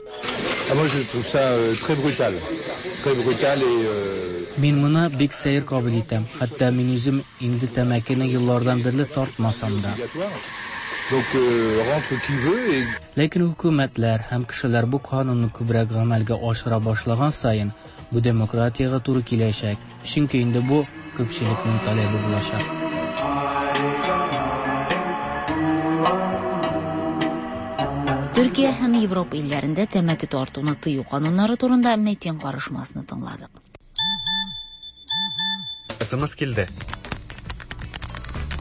Ah, moi je trouve ça euh, très brutal. Très brutal et euh... Мин моны бик сәер кабул итәм. Хәтта мин үзем инде тәмәкене еллардан бирле тартмасам да. Donc euh, rentre qui veut et Ләкин хөкүмәтләр һәм кешеләр бу канунны күбрәк гамәлгә ашыра башлаган саен бу демократиягә туры киләчәк. Чөнки инде бу күпчелекнең таләбе булачак. Төркия һәм Европа илләрендә тәмәке тартуны тыю кануннары турында Метин карышмасны тыңладык. СМС килде.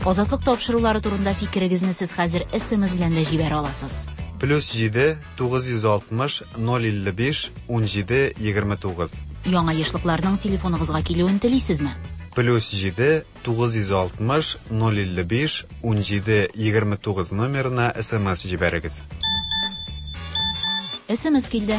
Азатлык тапшырулары турында фикерегезне сез хәзер СМС белән дә җибәрә аласыз. Плюс җиде тугыз йөз алтмыш ноль илле биш ун җиде егерме тугыз. Яңа ешлыкларның телефоныгызга килүен телисезме? Плюс җиде тугыз йөз алтмыш ноль илле биш ун җиде егерме тугыз номерына СМС җибәрегез. СМС килде.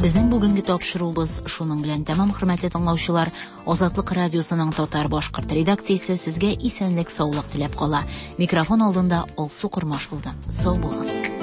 Безнең бүгенге тапшыруыбыз шуның белән тәмам, хөрмәтле тыңлаучылар. Азатлык радиосының татар башкорт редакциясе сезгә исәнлек, саулык теләп кала. Микрофон алдында Алсу Кормаш булды. Сау булыгыз.